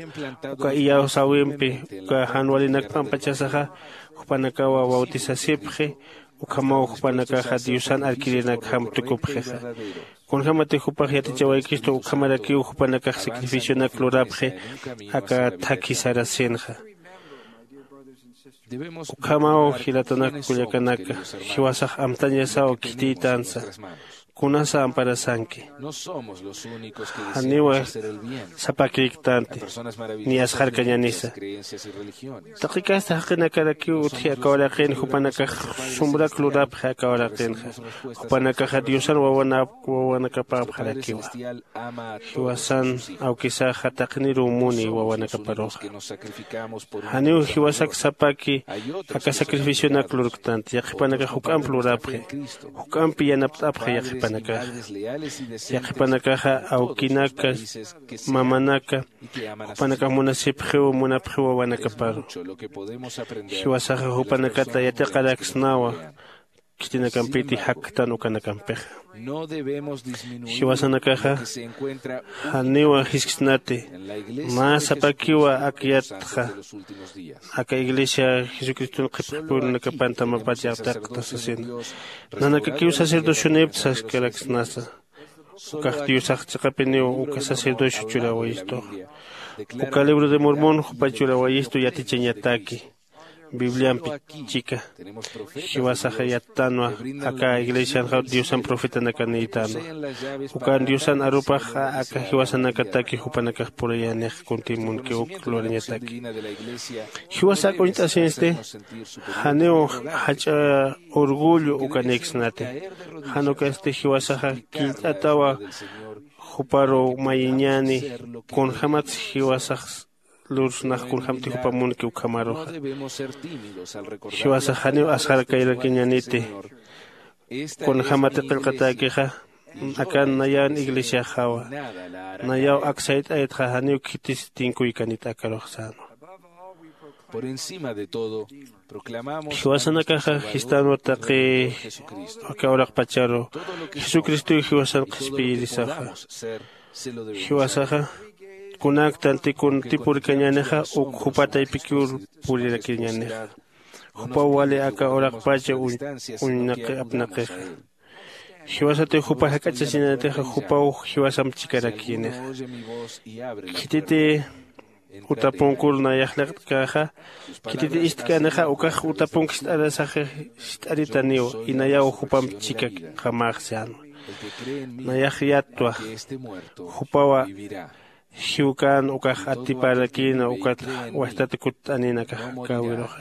uka iyawsäwimpi uka jan walinak p'ampachasaxa jupanakawa bautisasipxi. Ukhamaw jupanakaxa diosan arkirinakjam tukupxixa. Kunjämati jupax yatichawaykistu ukhamarakiw jupanakax sacrificionak lurapxi aka thakhi sarasinxa. Ukhamaw jilatanak kullakanaka jiwasax amtañasaw khitiytansa. Kunasa amparasanki? Janiwa sapakïktanti ni asxarkañanisa. Taqi kasta jaqinakarakiw utji aka uraqin jupanakax sumrak lurapxi aka uraqinxa. Jupanakaxa diosan wawanakapäpxarakiwa. Jiwasan awkisaxa taqiniruw muni wawanakaparuxa. Janiw jiwasak sapaki aka sacrificionak lurktanti yaqhipanakax juk'amp lurapxi. Juk'ampi yanapt'apxi yaqhipanakaxa. Yaqhipanakaxa awkinaka mamanaka jupanakax munasipxiw munapxiw wawanakaparu. Jiwasaxa jupanakata yatiqaraksnawa khitinakampiti jaktan ukanakampixa. Jiwasanakaxa janiwa jisksnati mä sapakiwa ak yatxa aka iglesia jesucriston qhipxipurunakapan tamapat yaqtaqta sasina. Nanakakiw sacerdocionipta saskaraksnasa. Ukax diosax chiqapiniw uka sacerdocio churawayistuxa. Uka libro de mormon jupa churawayistu yatichañataki bibliampi chika. Jiwasaxa yattanwa aka iglesianxa diosan profetanakanïtanwa. Ukan diosan arupaxa aka jiwasanakataki jupanakax purayänix kuntimunki uk lurañataki. Jiwasak uñt'asinsti janiw jach'a orgullo ukanïksnati. Jan ukasti jiwasaxa killt'atawa juparu mayiñäni kunjämatsa jiwasax lursnax kunjämti jupamunki ukhamaruxa. Jiwasax janiw asxarkayrakiñäniti kunjämati qillqatäkixa akan nayan iglesiaxawa. Nayaw aksayt'aytxa janiw khitis tinkuykanit akarux sänwa. Por encima de todo, proclamamos jiwasanakaxa jistänwa taqi aka uraqpacharu jesucristow jiwasan qhispiyirisaxa. Jiwasaxa kunaktanti kuntipurkañänixa uk jupa taypikiw purirakañänixa. Jupaw wali aka uraqpacha uñnaqi apnaqixa. Jiwasatiw jupa jak'achasinatixa jupaw jiwasamp chikarakïnixa. Khititi utapunkur nayax liqt'käxa, khititi istk'änixa ukax utapunk ist'arasaxi ist'aritaniw. Inayaw jupamp chikakxamäx sänwa. Nayax yattwa jupawa jiwkän ukax atiparakïna ukat wajtat kutt'aninakax käwiruxa.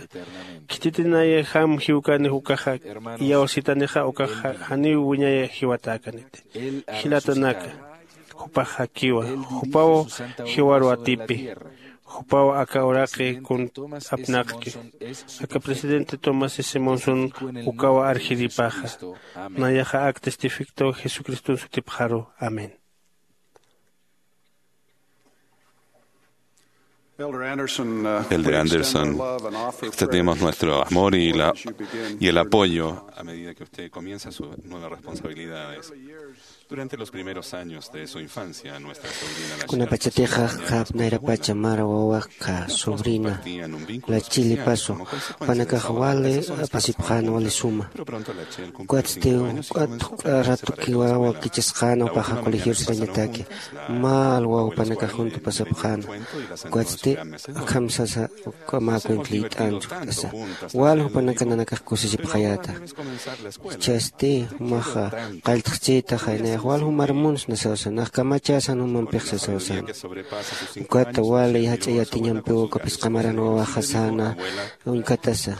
Khititinayjam jiwkänix ukaxa iyawsitanixa ukax janiw wiñay jiwatäkaniti. Jilatanaka, jupax jakiwa. Jupaw jiwaru atipi. Jupaw aka uraqi kun apnaqki. Aka presidente tomás simonson ukawa arjiripaxa. Nayaxa ak testificto jesucriston sutipxaru. Amén. Elder Anderson, extendemos nuestro amor y, la, y el apoyo a medida que usted comienza sus nuevas responsabilidades. Durante los primeros años de su infancia, nuestra sobrina la kunapachatixa jap nayrapacha mara wawakxa sobrina la chilipasu panakax wali apasipxän wali suma. Ukatsti ukat juk'a ratukiwa wakichasqäna jupaxa colegior sirañataki. Mä alwaw panakax juntu pasapxäna. Ukatsti akham sasa uka mä cuenta liyt'an chuktt'asa. Wal jupanaka nanakax kusisipxayäta. Jichhasti jumaxa qalltxchïtaxa nayax wal jumar munsna sawsa nax kamachäsan jumampix sasaw säna. Ukata wali jach'a yatiñampiw uka phisqa maran wawaxa säna uñkatasa.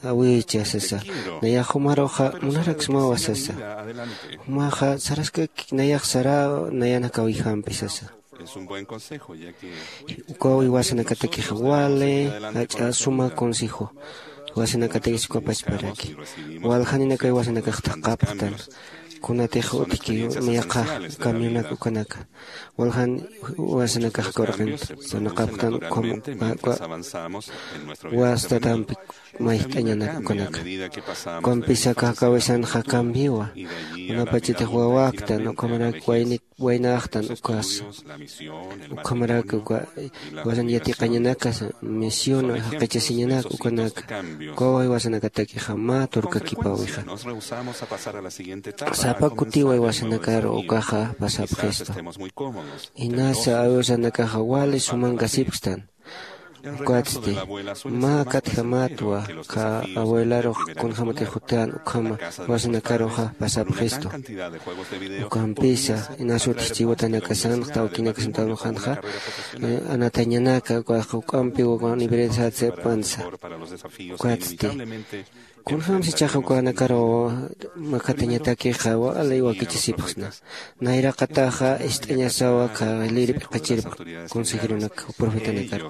Awicha sasa. Nayax jumaruxa munaraksmawa sasa. Jumaxa saraskaki nayax sara nayan jakawayjampi sasa. Ukaw iwasanakatakixa wali jach'a suma consejo. Iwasanakatakis ukapachparaki waljaninakaw iwasanakax thaqhapxtan. Kunatix utjki yaqha camionak ukanaka waljan iwasanakax kawraqinta sarnaqapxtan ukham wastatampi mayjt'añanak ukanaka. Ukampisa kakawisanxa cambiwa. Kunapachatix wawaktan ukhamarak waynik waynaxtan ukasa. Ukhamarak uka iwasan yatiqañanakasa misión jaqichasiñanak ukanaka. Ukawa iwasanakatakixa mä turkakipawixa. Sapa kutiwa iwasanakaru ukaxa pasapxistu. Inasa awiwasanakaxa wali sumankasipkstan. Ukatsti mä katjamatwa kha abuelarux kunjämatix jutän ukhama iwasanakaruxa pasapxistu. Ukampisa inasutix chiwatanakasanxa tawkinakasan tawluxanxa anatañanaka ukax juk'ampiw uka universidad seppansa. Ukatsti kunjämsa ichaxa ukanakaru makatañatakixa wali wakichasipxsna. Nayraqataxa ist'añasawa kha liri p'iqichirp consejeronak profetanakar.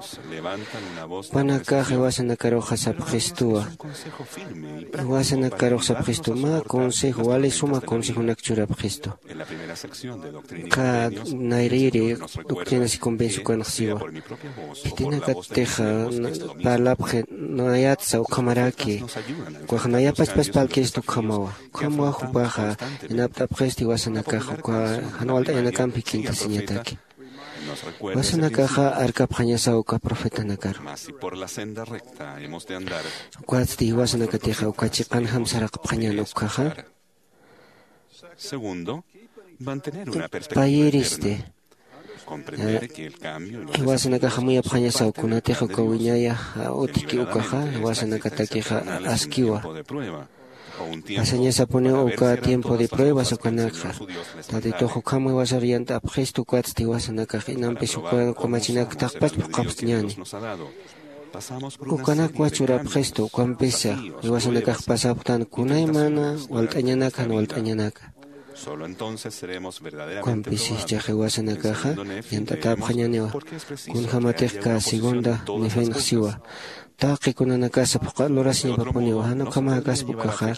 Jupanakax iwasanakaruxa sapxistuwa. Iwasanakarux sapxistu mä consejo wali suma consejonak churapxistu. Kha nayriri doctrinas y convencio ukanxsiwa. Khitinakatix parlapxi nayatsa ukhamaraki. Ukax nayapachpas parlkistu ukhamawa. Ukhamawa jupaxa inapt'apxisti iwasanakax uka jan walt'añanakamp jikintasiñataki. Iwasanakaxa arkapxañasaw uka profetanakaru. Ukatsti iwasanakatixa uka chiqanjam saraqapxañän ukkhaxa. Payiristi iwasanakaxa muyapxañasaw kunatix uka wiñaya utjki ukaxa iwasanakatakixa askiwa. Pasañasapuniw uka tiempo de pruebas ukanakxa. Tatitux ukham iwasar yant'apxistu ukatsti iwasanakax inampis uka kamachinak thaqpach phuqhapxtñäni. Ukanakwa churapxistu ukampisa iwasanakax pasapxtan kunaymana walt'añanaka jan walt'añanaka. Solo entonces seremos verdaderamente probados. Ukampis jichhax jiwasanakaxa yant'atäpxañäniwa. Kunjämatix kä segunda Nefinx siwa, taqi kunanakasa phuqha lurasiñapapuniwa, jan ukhamäkaspa ukaxa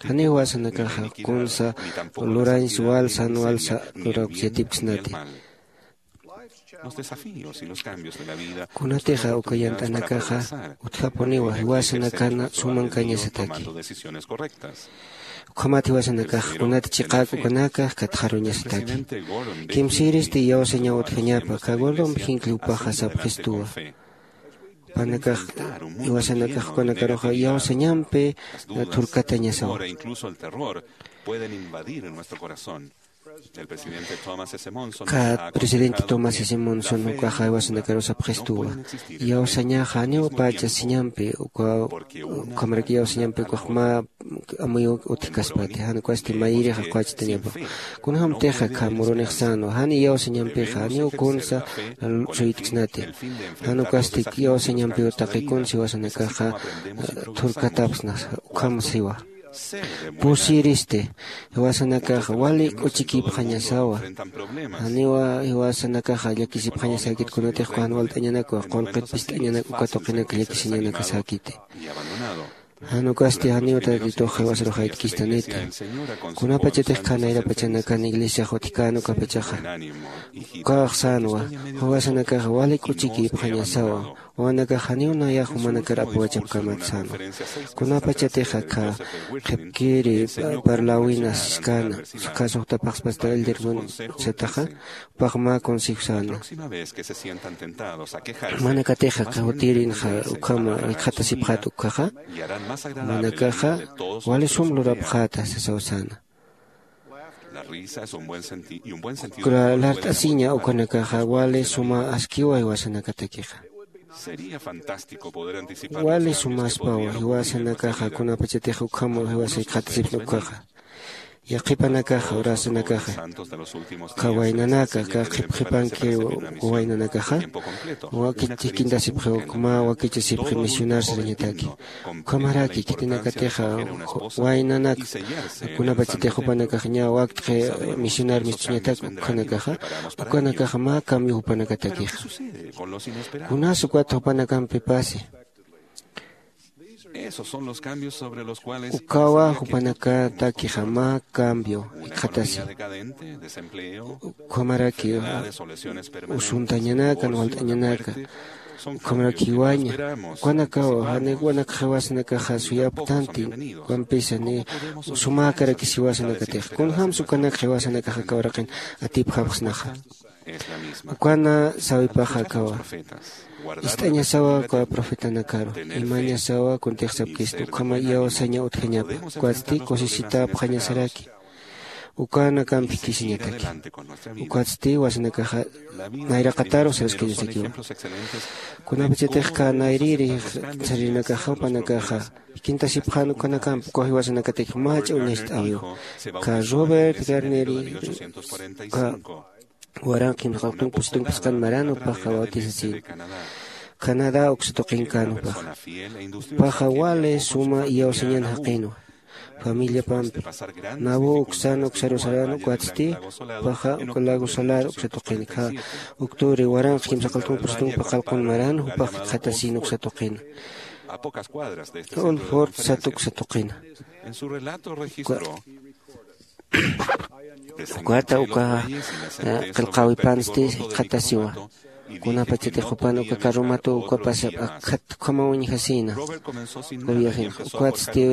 janiw jiwasanakaxa kunsa lurañs walsa jan walsa lurawks yatipksnati. Kunatixa uka yant'anakaxa utjapuniwa jiwasanakan sumankañasataki. Ukhamat jiwasanakax kunat chiqäk ukanakax katxaruñasataki. Kimsïristi iyawsañaw utjañapa, kä Gordon Hinckley jupaxa sapxistuwa. Jupanakax jiwasanakax jupanakaruxa iyawsañampi thurkatañasawa. Kä presidente Thomas S. Monson ukaxa jiwasanakaru sapxistuwa, iyawsañaxa janiw pachasiñampi uka, ukhamarak iyawsañampi ukax mä amuy utjkaspati, jan ukasti mayirix qhachtañapa. Kunjämtixa kä murunix sänwa, jan iyawsañampixa janiw kunsa suytksnati, jan ukasti iyawsañampiw taqi kunsa jiwasanakaxa thurkatapxsna, ukham siwa. Pusiristi, jiwasanakaxa wali k'uchikïpxañasawa. Janiwa jiwasanakaxa llakisipxañasäkit kunatix uka jan walt'añanakwa, qullqit pist'añanak uka tuqinak llakisiñanakasäkiti. Jan ukasti janiw Tatitux jiwasarux jaytkistaniti. Kunapachatix jan nayrapachanakan iglesiax utjkän ukapachaxa, ukax sänwa, jiwasanakaxa wali k'uchikïpxañasawa. Wawanakax janiw nayax jumanakar apawachapkamat sänwa. Kunapachatix aka qhipkiri parläwina siskäna, aka suxtapxaspasta Elder Munn sataxa, jupax mä consejo säna. Jumanakatix aka jutirinxa ukhama jikxatasipxät ukkhaxa, jumanakaxa wali sum lurapxäta sasaw säna. Ukra lart'asiña ukanakaxa wali suma askiwa jiwasanakatakixa. Wali sumaspawa jiwasanakaxa kunapachatix ukhama jiwasa jikxatasipxi ukkhaxa. Yaqhipanakaxa, urasanakaxa, aka waynanaka, aka qhipqhipanki waynanakaxa, wakichikintasipxiw mä wakichasipxi misionar sarañataki. Ukhamaraki khitinakatixa waynanak kunapachatix jupanakax ña wakt'xi misionar mistuñatak ukhanakaxa, ukanakaxa mä cambio jupanakatakixa. Kunas ukat jupanakampi pasi. Ukawa jupanakatakixa mä cambio jikxatasi. Ukhamaraki usuntañanaka, walt'añanaka, ukhamaraki jiwaña, ukanakawa janiw wanak jiwasanakaxa suyapktanti, ukampisa ni sumäkarakis jiwasanakatix. Kunjämsa ukanak jiwasanakax aka uraqin atipjapxsnaxa. Ukana sawipaxa akawa. Ist'añasawa uka profetanakaru, imañasawa kuntix sapkistu, ukhama iyawsaña utjañapa, ukatsti kusisitäpxañasaraki. Ukanakampi jikisiñataki. Ukatsti jiwasanakaxa nayraqataru saraskañasakiwa. Kunapachatix aka nayrïri sarinakaxa jupanakaxa jikintasipxän ukanakampi uka jiwasanakatakix mach'a uñacht'äwiwa. Aka Robert Garnier, aka waranqa kimsaqalqtun pusitun phisqan maran jupaxa bautizasïna. Canadá uksa tuqinkän jupaxa. Jupaxa wali suma iyawsañan jaqinwa familiapampi. Nauvoo uksan uksaru saran, ukatsti jupaxa uka lago Salado uksa tuqin, aka octubre waranqa kimsaqaltun pusitun paqallqun maran jupax jikxatasïna uksa tuqina. Old Fort sat uksa tuqina. Ukata uka qillqäwipansti jikxatasiwa. Kunapachatix jupan uka carromatu ukapas akhat ukhama uñjasïna. Uka viajenxa ukatsti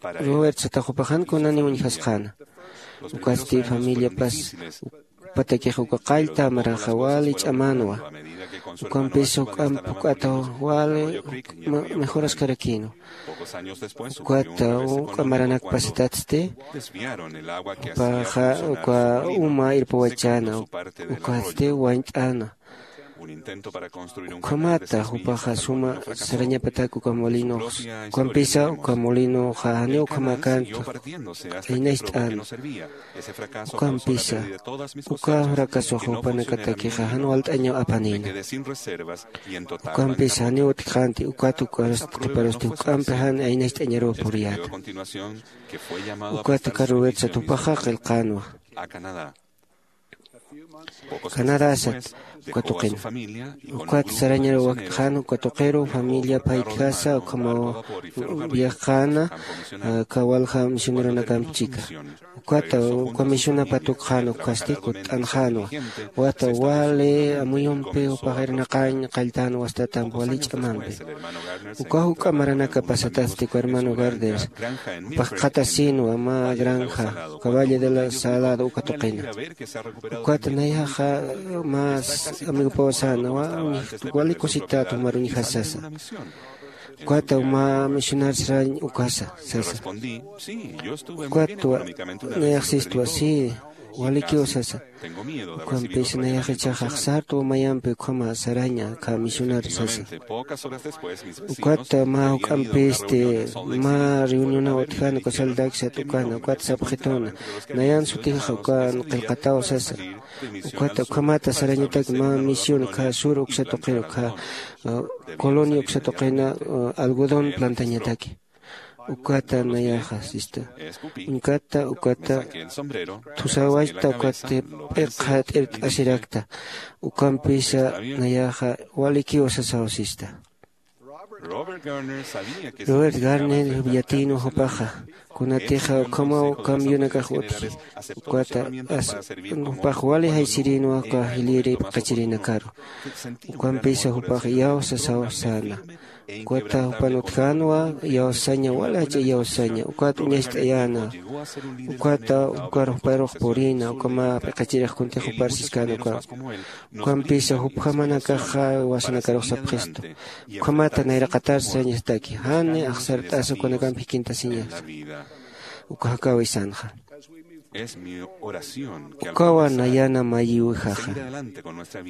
Robert satax jupax jan kunaniw uñjasqäna. Ukatsti familiapas jupatakix uka qallta maranxa wali ch'amänwa. Ukampis juk'amp juk'ata wali mejoraskarakïnwa. Ukat juk'a maranak pasitatsti, jupaxa uka uma irpawachäna, ukatsti wañt'äna. Ukhamata jupaxa suma sarañapatak uka molinox, ukampisa uka molinoxa janiw ukhamäkänti, aynacht'an. Ukampisa uka furakasoxa jupanakatakixa jan walt'añaw apanïna. Ukampisa janiw utjkänti, ukat ukarust qhiparusti juk'ampi jan aynacht'añaruw puriyäta. Ukat Carrubersat jupaxa qillqänwa. Canadasat uka tuqina. Ukat sarañaruw wakt'xän uka tuqiru familia paytjasa ukhamaw viajqäna, aka walja misioneronakamp chika. Ukata uka misionapa tukxän ukasti kutt'anxänwa. Wata wali amuyumpi jupax irnaqañ qalltän wastatamp wali ch'amampi. Uka juk'a maranaka pasatasti uka hermano Gardner. Jupax qhatasïnwa mä granja, uka Valle de la Salado uka tuqina. Ukat nayaxa mä amigopaw sänwa, wali kusität jumar uñjasa sasa. Ukat mä misionar sarañ ukasa sasa. Ukat nayax sistwa, sí, walikiw sasa. Ukampis nayax jichhax axsartwa mayampi ukhama saraña aka misionar sasa. Ukat mä juk'ampisti mä reunionaw utjäna uka Salt Lake sat ukana, ukat sapxituna, nayan sutixa ukan qillqataw sasa. Ukat ukhamata sarañatak mä misión aka sur uksa tuqir aka, uh, colonia uksa tuqina, uh, algodón plantañataki. Ukata nayaxa sista. Uñkata ukata thusawachta ukata p'iqha t'irt'asirakta. Ukampisa nayaxa walikiw sasaw sista. Robert Gardner yatïnwa jupaxa, kunatixa ukhamaw camionakax utji, ukata as jupax wali jaysirïnwa uka jilïri p'iqichirinakaru. Ukampisa jupax iyaw sasaw säna. Ukata jupan utjänwa iyawsaña, wali jach'a iyawsaña, ukat uñacht'ayäna. Ukata jukar juparux purïna, ukhama p'iqichirix kuntix jupar siskäna uka. Ukampisa jupjamanakaxa jiwasanakarux sapxistu. Ukhamata nayraqatar sañastaki, jani axsart'asa ukanakamp jikintasiñasa. Uka jakäwisanxa. Ukawa nayana mayiwijaxa.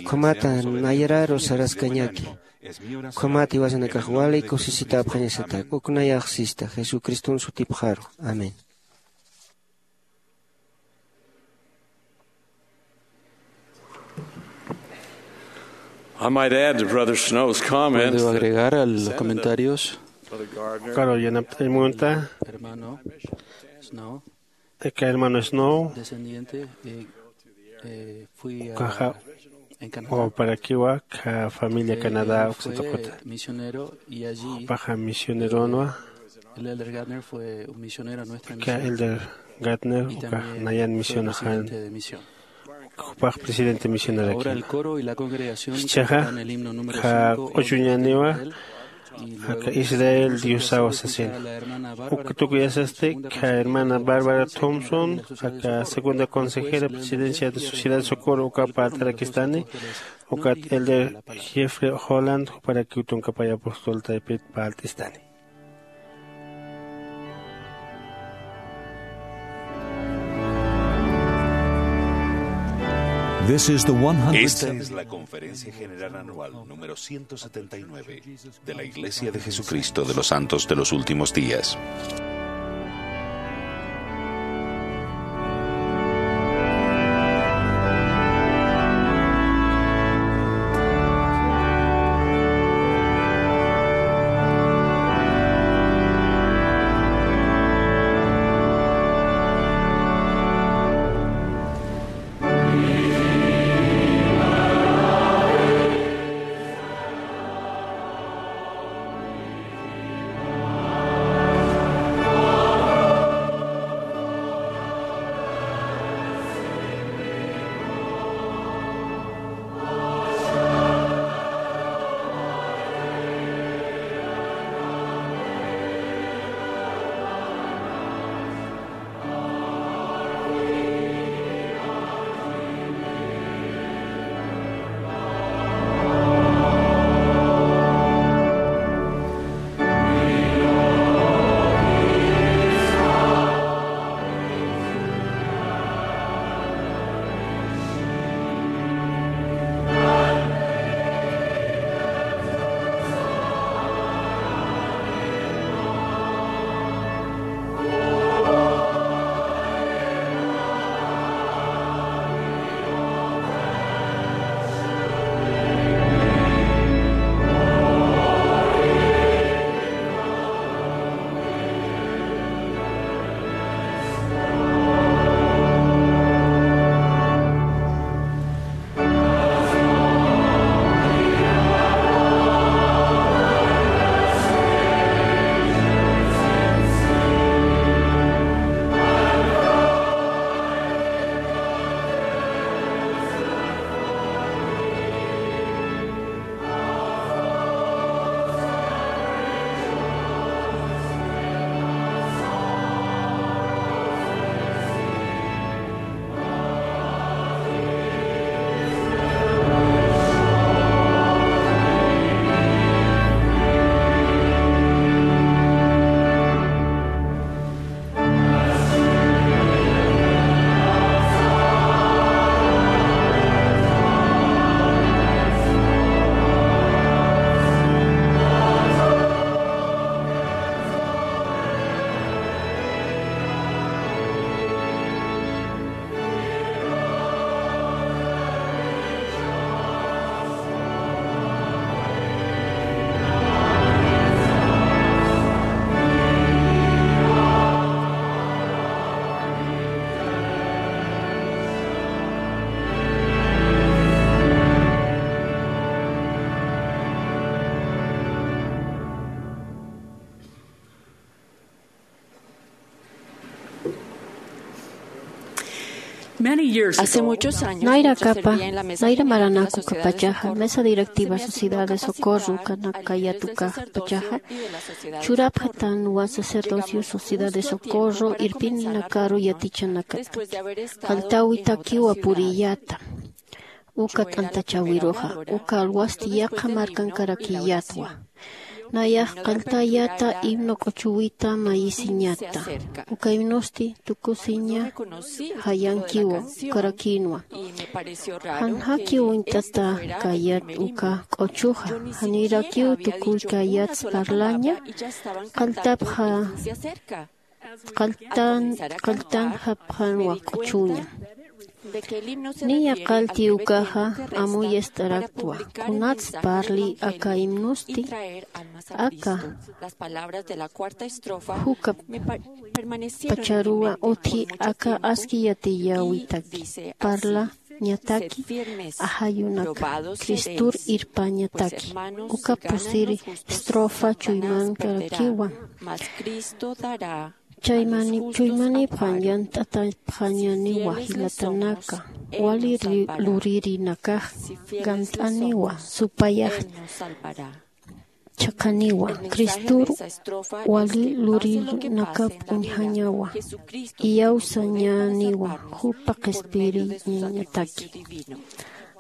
Ukhamata nayararu saraskañaki. Ukhamata jiwasanakax wali kusisitäpxañasatak. Uk nayax sista, Jesucriston sutipxaru. Amén. I might add to Brother Snow's comment. Puedo agregar a los comentarios. Ukaru yanapt'añ munta. Hermano Snow. Aka hermano Snow. Descendiente, eh, eh, fui a, ukaxa en Canadá. Wawparakiwa, aka familia Canadá uksa tuquta. Él fue misionero y allí, jupaxa misioneronwa. El Elder Gardner fue un misionero a nuestra misión. Aka Elder Gardner, y ukax también nayan fue misionxan. Presidente de misión. Jupax presidente misionaraki. Ahora el coro y la congregación cantarán el himno número cinco, Honra Israel, y luego aka Israel Diosaw sasin. Uka tukuyasasti, aka hermana Barbara Thompson, aka segunda consejera presidencia de Sociedad Socorro, uka parlt'arakistani, ukat Elder Jeffrey Holland, juparakiw tunka pay apostol taypit parlt'istani. This is the one hundred. Esta es la Conferencia General Anual número ciento setenta y nueve de la Iglesia de Jesucristo de los Santos de los Últimos Días. Hace muchos años, nayra kapa, nayra maranaku kapachaxa mesa directiva sociedad de socorro kanakayatukax pachaxa, churapxatanwa sacerdocio sociedad de socorro irpininakaru yatichanakata. Qalltawitakiwa puriyata uka t'antachawiruxa uka alwasti yaqha markankarakiyatwa. Nayax qalltayata himno q'uchuwita mayisiñata. Uka himnosti tukusiña jayankiwa ukarakïnwa. Janjaki uñt'ata kayat uka q'uchuxa, janirakiw tukuy kayats parlaña. Qalltapxa qalltan qalltan japxanwa q'uchuña. Niya qallti ukaxa amuyast'araktwa kunats parli aka himnusti aka juka pacharuwa utji aka aski yatiyawitaki parlañataki ajayunaka cristur irpañataki. Uka pusiri estrofa chuymankarakiwa. Chaymani chuymanipxan yant'atapxañaniwa jilatanaka wali ri- luririnakax gant'aniwa supayax chhaqaniwa cristur wali lurinakap uñjañawa iyawsañaniwa jupa qhispiriñañataki.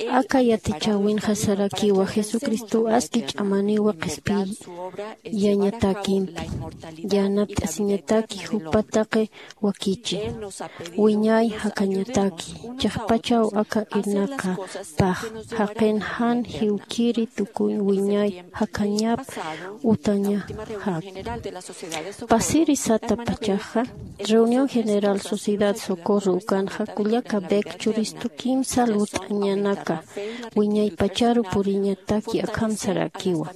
Aka yatichäwinxa sarakiwa jesucristo aski ch'amaniwa qhispiyañatakimpi yanapt'asiñataki jupa taqi wakichi wiñay jakañataki. Chiqpachaw aka irnaqapax jaqin jan jiwkiri tukuñ wiñay jakañap utañajak. Pasiri sata pachaxa reunión general sociedad socorro ukanxa kullaka bek churistu kimsa lurt'añanaka wiñaypacharu puriñataki akham sarakiwa.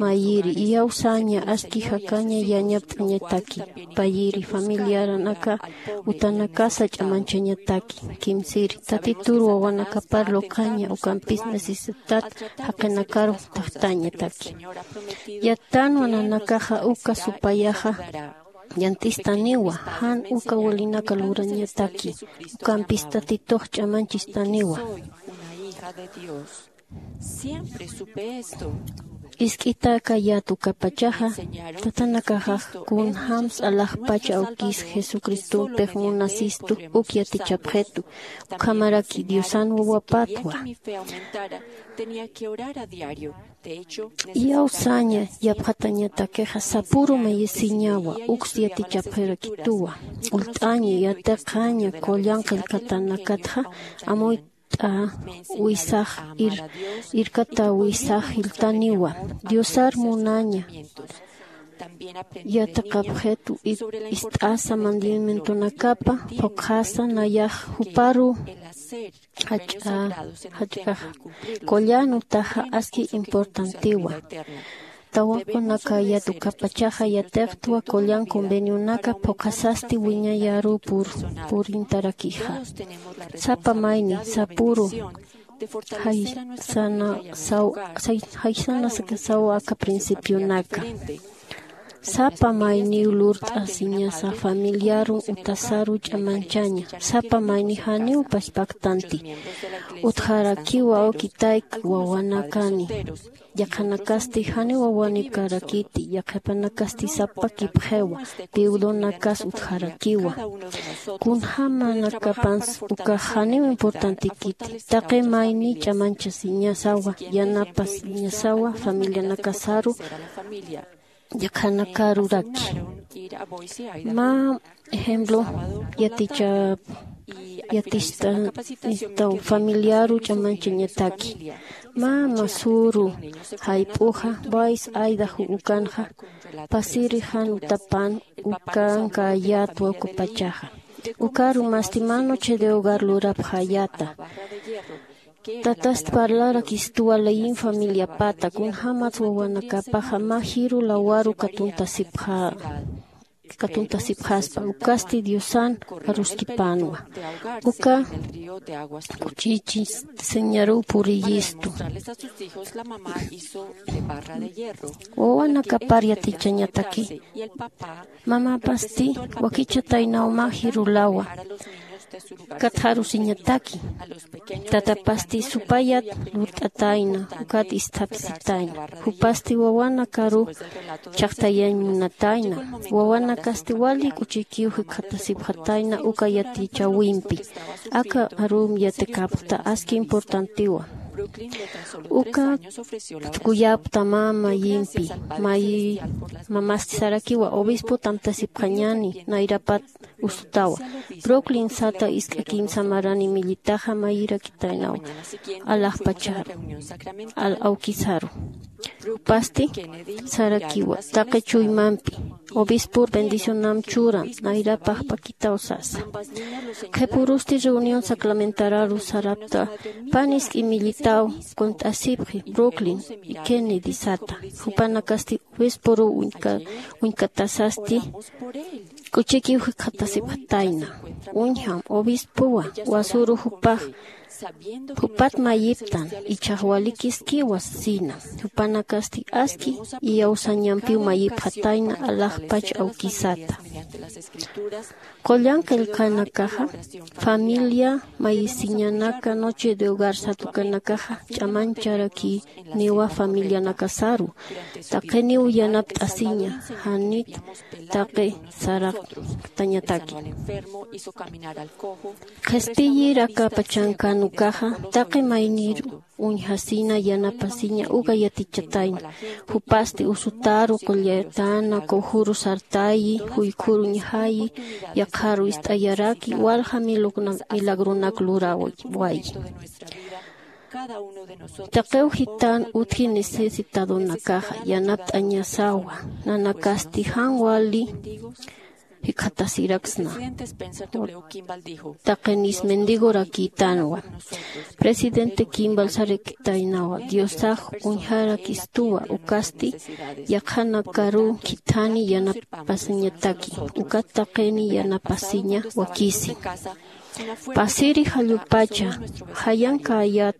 Mayiri iyawsaña aski jakaña yañapt'añataki. Payiri familiaranaka utanakasa ch'amanchañataki. Kimsiri tatitur wawanakapar luqaña ukampis necesidad jaqinakaru taqtañataki. Yattanwa nanakaxa uka supayaxa yant'istaniwa jan uka walinaka lurañataki ukampis tatitux ch'amanchistaniwa. Isk'itaka yatukapachaxa tatanakaxax kunjämsa alaxpacha awkis jesucristupix munasistu uk yatichapxitu ukhamaraki diosan wawapatwa. Iyawsaña yapxatañatakixa sapuru mayisiñawa uks yatichapxirakituwa. Ult'aña yatiqaña qullan qillqatanakatxa amuyt'a wisax irkata wisax jilltaniwa diosar munaña. Yatiqapxitu ist'asa mandamientonakapa phuqhasa nayax juparu jach'a jach'axa qullan utaxa aski importantiwa. Tawaqunaka yatukapachaxa yatiqtwa qullan convenionaka phuqhasasti wiñayaru purintarakixa. Sapa mayni sapuru jaysana saw aka principionaka. Sapa mayniw lurt'asiñasa familiarun utasaru ch'amanchaña sapa mayni janiw paspaktanti. Utjarakiwa awkitayk wawanakani yaqhanakasti janiw wawanipkarakiti yaqhipanakasti sapakipxiwa. Viudonakas utjarakiwa kunjämanakapans ukax janiw importantikiti. Taqi mayni ch'amanchasiñasawa yanapasiñasawa familianakasaru yaqhanakaruraki. Mä ejemplo yatichap yatichtaw familiaru ch'amanchañataki. Mä masuru jayp'uxa vais aydaxu ukanxa pasiri jan utapan ukanka yatwa ukapachaxa. Ukaru masti mä noche de hogar lurapxayata. Tatast parlarakistuwa leyin familiapata kunjämats wawanakapaxa mä jiru lawaru katuntasipxä katuntasipxaspa ukasti diosan aruskipänwa. Uka kuchichis señaruw puriyistu. Wawanakapar yatichañataki mamapasti wakichataynaw mä jiru lawa Katxarusiñataki. Tatapasti supayat lurt'atayna, ukat isthapsitayna. Jupasti wawanakaru chhaqtayañ munatayna. Wawanakasti wali k'uchikiw jikxatasipxatayna uka yatichäwimpi. Aka arum yatikäpxta aski importantiwa. Uka tukuyapxta mä mayimpi, mayi mamasti sarakiwa obispo tamtasipxañäni, nayrapat usutawa. Brooklyn sata isk'a kimsa marani millitaxa mayirakitaynawa. Alaxpacharu, al awkisaru. Jupasti sarakiwa taqi chuymampi, obispur bendicionam churan, nayrapax pakitaw sasa. Qhipurusti reunión sacramentalaru sarapta, pan isk'i millitaw qunt'asipxi Brooklyn y Kennedy sata. Jupanakasti obispuru uñka-, uñkatasasti k'uchikiw jikxatasipxatayna. Uñjam obispuwa wasuru jupax, jupat mayiptan, ichhax walikiskiwa sina. Jupanakasti aski iyawsañampiw mayipxatayna alaxpach awkisata. Qullan qillqanakaxa, familia mayisiñanaka, noche de hogar satukanakaxa ch'amancharakiniwa familianakasaru. Taqiniw yanapt'asiña, janit taqi saraqtañataki. Qhispiyir aka pachankan ukaxa, taqi mayniru uñjasina yanapasiña uka yatichatayna. Jupasti usutaru qullayatana, kujuru sartayi, juykhur uñjayi, yaqharu ist'ayaraki, walja milugna-, milagronak lurawayi. Taqiw jitan utji necesitadonakaxa, yanapt'añasawa, nanakasti jan wali jikxatasiraksna. Taqinis mendigorakïtanwa. Presidente Kimball sarakitaynawa, Diosax uñjarakistuwa, ukasti yaqhanakaru khithani yanapasiñataki, ukat taqini yanapasiña wakisi. Pasiri jallupacha, jayankäyät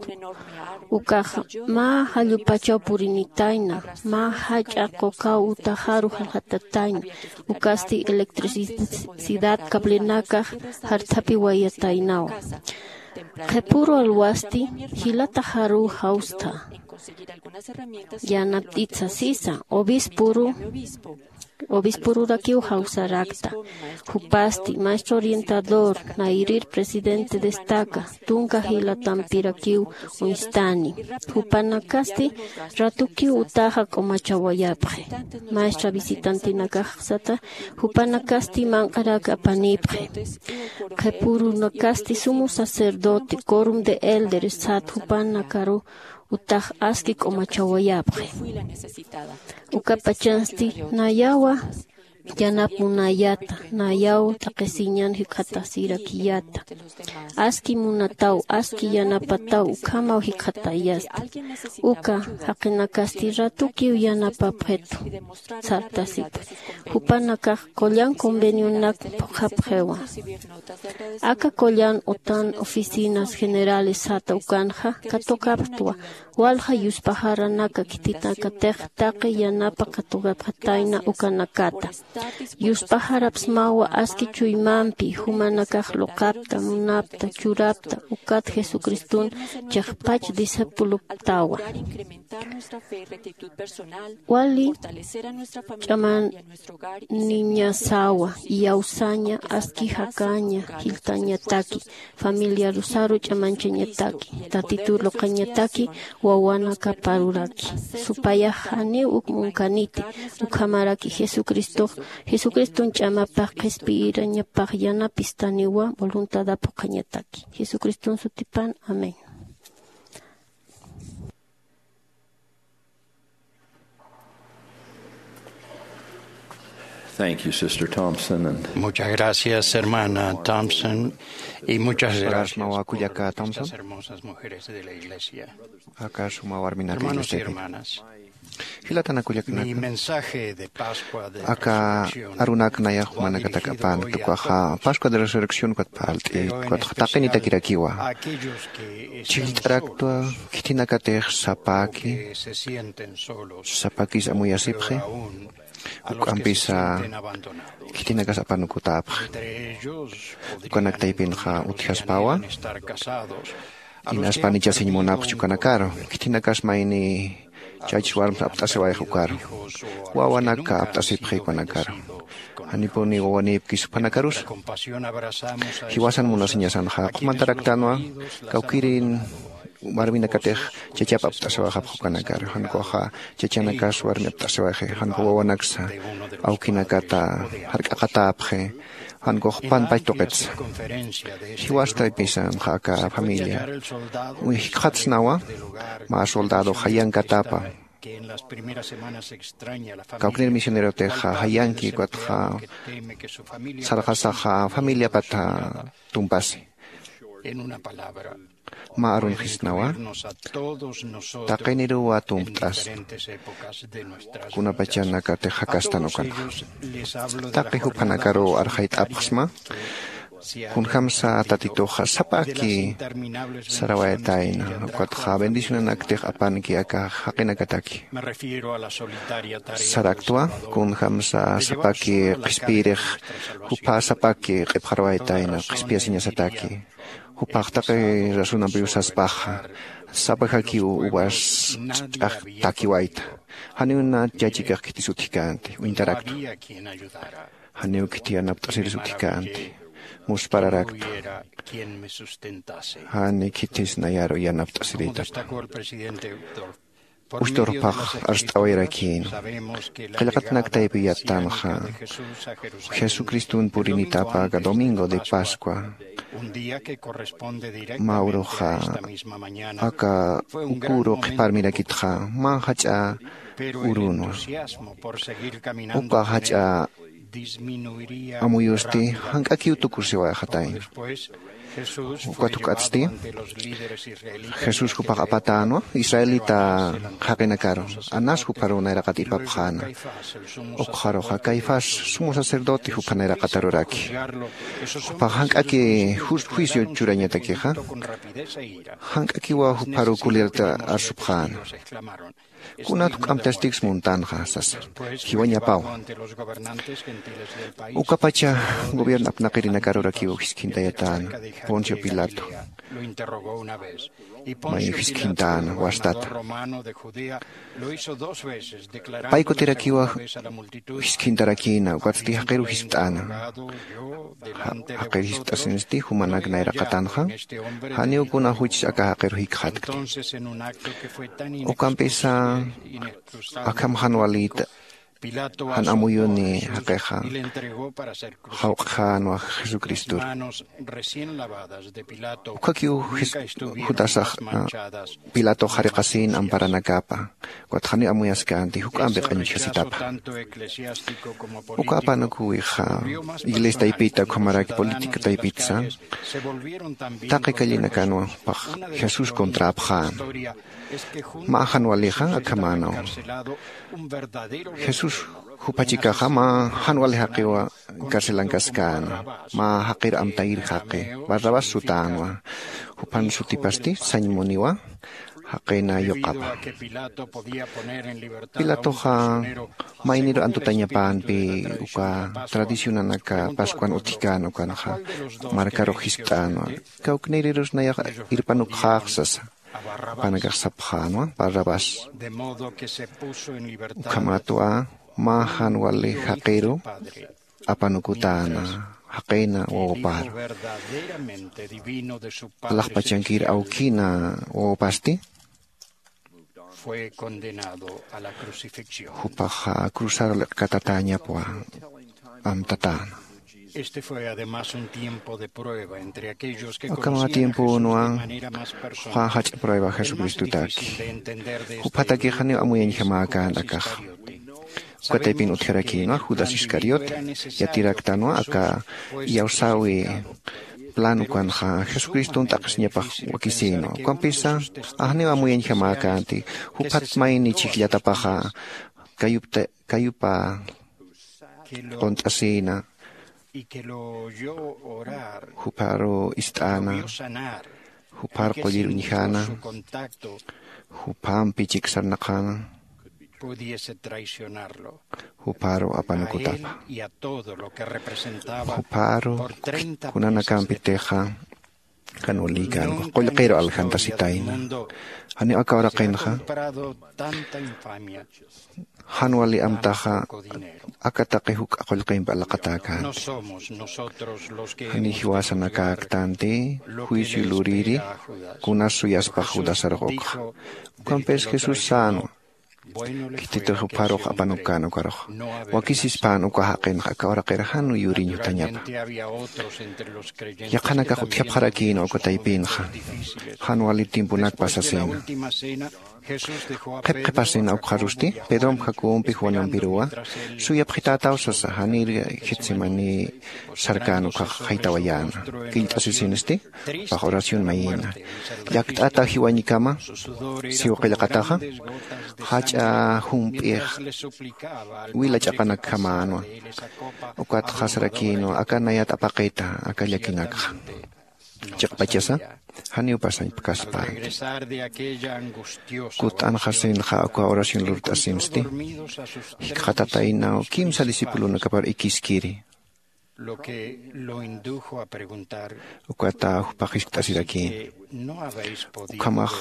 ukax mä jallupachaw purinitayna, mä jach'a qukaw utaxaru jaljatatayna, ukasti electricidad cablenakax jarthapiwayataynawa. Qhipuru alwasti jilataxaruw jawstha. Yanapt'it sasisa, obispuru, obispururakiw jawsarakta. Jupasti, maestro orientador, nayirir presidente destaca, tunka jilatampirakiw uñstani. Jupanakasti ratukiw utaxa q'umachawayapxi. Maestra visitantinakax sata, jupanakasti manq'arak apanipxi. Qhipurunakasti sumo sacerdote, quórum de elders sat jupanakaru utax aski q'umachawayapxi. Ukapachansti nayawa yanap munayata, nayaw taqisiñan jikxatasirakiyata. Aski munataw, aski yanapataw, ukhamaw jikxatayasta. Uka jaqinakasti ratukiw yanapapxitu, sartasipa. Jupanakax qullan convenionak phuqhapxiwa. Aka qullan utan oficinas generales sata ukanxa katukapxtwa, walja yuspaxaranaka khitinakatix taqi yanapa katukapxatayna ukanakata. Yuspaxarapsmawa aski chuymampi, jumanakax luqapta, munapta, churapta, ukat Jesucriston chiqpach discipuloptawa. Wali ch'amaniñasawa, iyawsaña, aski jakaña, jiltañataki, familiarusaru ch'amanchañataki, Tatitur luqañataki, wawanakaparuraki. Supayax janiw uk munkaniti, ukhamaraki Jesucristox, Jesucriston ch'amapax qhispiyirañapax yanapistaniwa voluntadap phuqhañataki. Jesucriston sutipan, amén. Thank you, Sister Thompson, and Muchas gracias, hermana Thompson, y muchas gracias por estas hermosas mujeres de la iglesia. Aka suma warminaka. Hermanos y hermanas, jilatana kullakanaka. Mi mensaje de Pascua de Aka Resurrección arunak nayax jumanakatak apan tukaxa Pascua de Resurrección ukat phalt'it, ukat taqinitakirakiwa. Chhillt'araktwa khitinakatix sapaki, sapakis amuyasipxi. Uk'ampisa khitinakas apanukutäpxi. Ukanak taypinxa utjaspawa, inas panichasiñ munapxchi ukanakaru. Khitinakas mayni chachs warms apt'asiwayxi ukaru. Wawanaka apt'asipxi ukanakaru. Janipuni wawanïpkis jupanakarusa. Jiwasan munasiñasanxa q'umantaraktänwa, kawkïrin warminakatix chachap apt'asiwayxapxi ukanakaru. Jan ukaxa chachanakas warmi apt'asiwayxi, jan ukax wawanaksa awkinakata jark'aqatäpxi, jan ukax jupan pach tuqitsa. Jiwas taypisanxa aka familia jikxatsnawa, mä soldado jayankatapa. Kawknir misionerotixa jayanki, ukatxa sarxasaxa familiapata tumpasi. Mä arunxisnawa, taqiniruwa tumpt'asna, kunapachanakatix jakastan ukanxa. Taqi juphanakaruw arxayt'apxsma, kunjamsa Tatituxa sapaki sarawayatayna, ukatxa bendicionanaktix apanki aka jaqinakataki. Saraktwa, kunjamsa sapaki qhispiyirix, jupha sapaki q'ipxarawayatayna qhispiyasiñasataki. Juphax taqi razonampiw saspaxa, sapajakiw uvas ch'ax takiwayta. Janiw nä chachikix khitis utjkänti, uñtaraktwa. Janiw khiti yanapt'asiris utjkänti, muspararaktwa. Jani khitis nayaru yanapt'asiritapa. Ustur phax arst'awayarakïn. Qillqatanak taypi yattanxa, Jesucriston purinitapa aka domingo de Pascua. Mä uruxa aka uka uru qhiparmirakitxa, mä jach'a urunwa. Uka jach'a amuyusti jank'akiw tukusiwayxatayna. Ukat juk'atsti, Jesús jupax apatänwa israelita jaqinakaru, Anás jupharuw nayraqat ipapxäna. Ukxaruxa Caifás sumo sacerdote jupha nayraqataruraki. Jupax jank'aki jus-, juicio churañatakixa, jank'akiwa jupharuw kulirta arsupxäna. Kunat juk'amp testigs muntanxa sasa, jiwañapawa. Ukapacha gobierno apnaqirinakarurakiw jiskhintayatän Poncio Pilato. May jiskhintän wastata. Pay kutirakiwa jiskhintarakïna, ukatsti jaqiruw jiskt'äna. Ja-, jaqir jiskt'asinsti jumanak nayraqatanxa, janiw kuna juchs aka jaqir jikxatkti. Ukampisa akham jan walïta, jan amuyuni jaqixa jawq'jänwa Jesucristor. Ukhakiw Jis-, Judasax, a, Pilatox jariqasin amparanakapa, ukat janiw amuyaskänti, juk'ampi q'añuchjasitapa. Uka apanukuwixa iglesia taypita, ukhamaraki política taypitsa, taqi callinakanwa jupax Jesús contrapxän. Mä jan walixa akhamänaw. Jesús jupachikaxa mä jan wali jaqiwa carcelankaskän, mä jaqir amtayir jaqi, Barrabás sutänwa. Jupan sutipasti sañ muniwa, jaqina yuqapa. Pilatoxa mayniru antutañapänpi uka tradicionanaka Pascuan utjkän ukanxa markarux jiskt'änwa. Kawknirirus nayax irpanukxäx sasa. Jupanakax sapxänwa, Barrabás. Ukhamatwa mä jan wali jaqiru apanukutäna, jaqina wawapar. Alaxpachankir awkina wawapasti jupaxa cruzaru liq'katatäñapwa amtatäna. Aka mä tiemponwa juxa jach'a prueba Jesucristotaki. Juphatakix janiw amuyañjamäkän akaxa. Uka taypin utjarakïnwa Judas Iscariote, yatiraktanwa aka iyawsäwi plan ukanxa Jesucriston t'aqhisiñapax wakisïnwa. Ukampisa janiw amuyañjamäkänti, juphat mayni chhijllatapaxa kayupta-, kayupa qunt'asïna, jupharu ist'äna, juphar qullir uñjäna, juphampi chiksarnaqäna. pudiese traicionarlo. Juparu a él apanukutapa. Y a todo lo que representaba. Juparu por treinta meses de kunanakampitixa. Kan wali kanwa qullqiru aljantasitayna. Janiw aka uraqinxa. Jan wali amtaxa aka taqi juk'a qullqimpi alaqatäkänti. Jani jiwasanakäktanti juicio luriri kunas suyaspax judasarux ukxa. Ukampis jesús sänwa. Khititix jupharux apanukän ukarux. Wakisispän uka jaqinxa aka uraqir jan yuriñ jutañapa. Yaqhanakax utjapxarakïnwa uka taypinxa. Jan wali tiemponak pasasïna. Qhipqhipasina ukxarusti pedromp jacobompix wanampiruwa. Suyapxitätaw sasa janir getsemaní sarkän ukhax jaytawayäna. Killt'asisinisti jupax oración mayïna. Llakt'ata jiwañkama siw qillqataxa jach'a jump'ix wila ch'aqanakjamänwa. Ukatxa sarakïnwa aka nayat apaqita aka llakinakxa. Chiqpachasa janiw pasañpkaspänti. Kutt'anxasinxa uka oración lurt'asinsti. Jikxatataynaw kimsa discipulonakapar ikiskiri. Ukata jupax jiskt'asirakïn. Ukhamax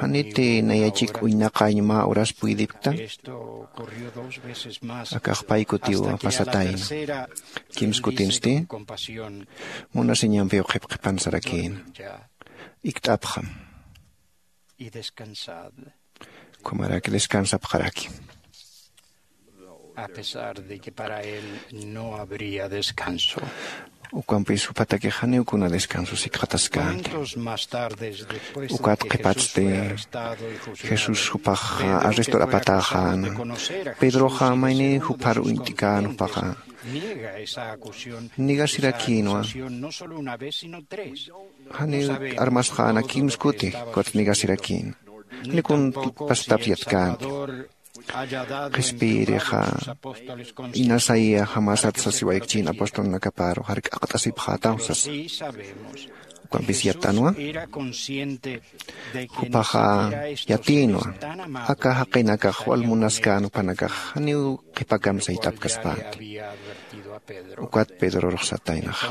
janiti nayachik uñnaqañ mä uras puydipktan. Akax pay kutiw pasatayna. Kimskutinsti munasiñampiw qhipqhipan sarakïna. Ikt'apxam. Ukhamaraki descansapxaraki. A pesar de que para él no habría descanso. Ukampis juphatakix janiw kuna descanso sikxataskänti. Ukat qhipatsti jesús jupax arrestor apatäxäna. Pedroxa mayni juphar uñt'kän jupaxa. Negasirakïnwa. Janiw armasxäna kimskuti. Ukat negasirakïna. Janiw kun pasatapyatkäna. Qhispiyirixa inasaya jamasat sasiwayakchïn apostolnakaparu jark'aqt'asipxätaw sasa. Ukampis yattanwa. Jupaxa yatïnwa aka jaqinakax wal munaskän jupanakax janiw qhipakam sayt'apkaspänti. Ukat pedrorux sataynaxa.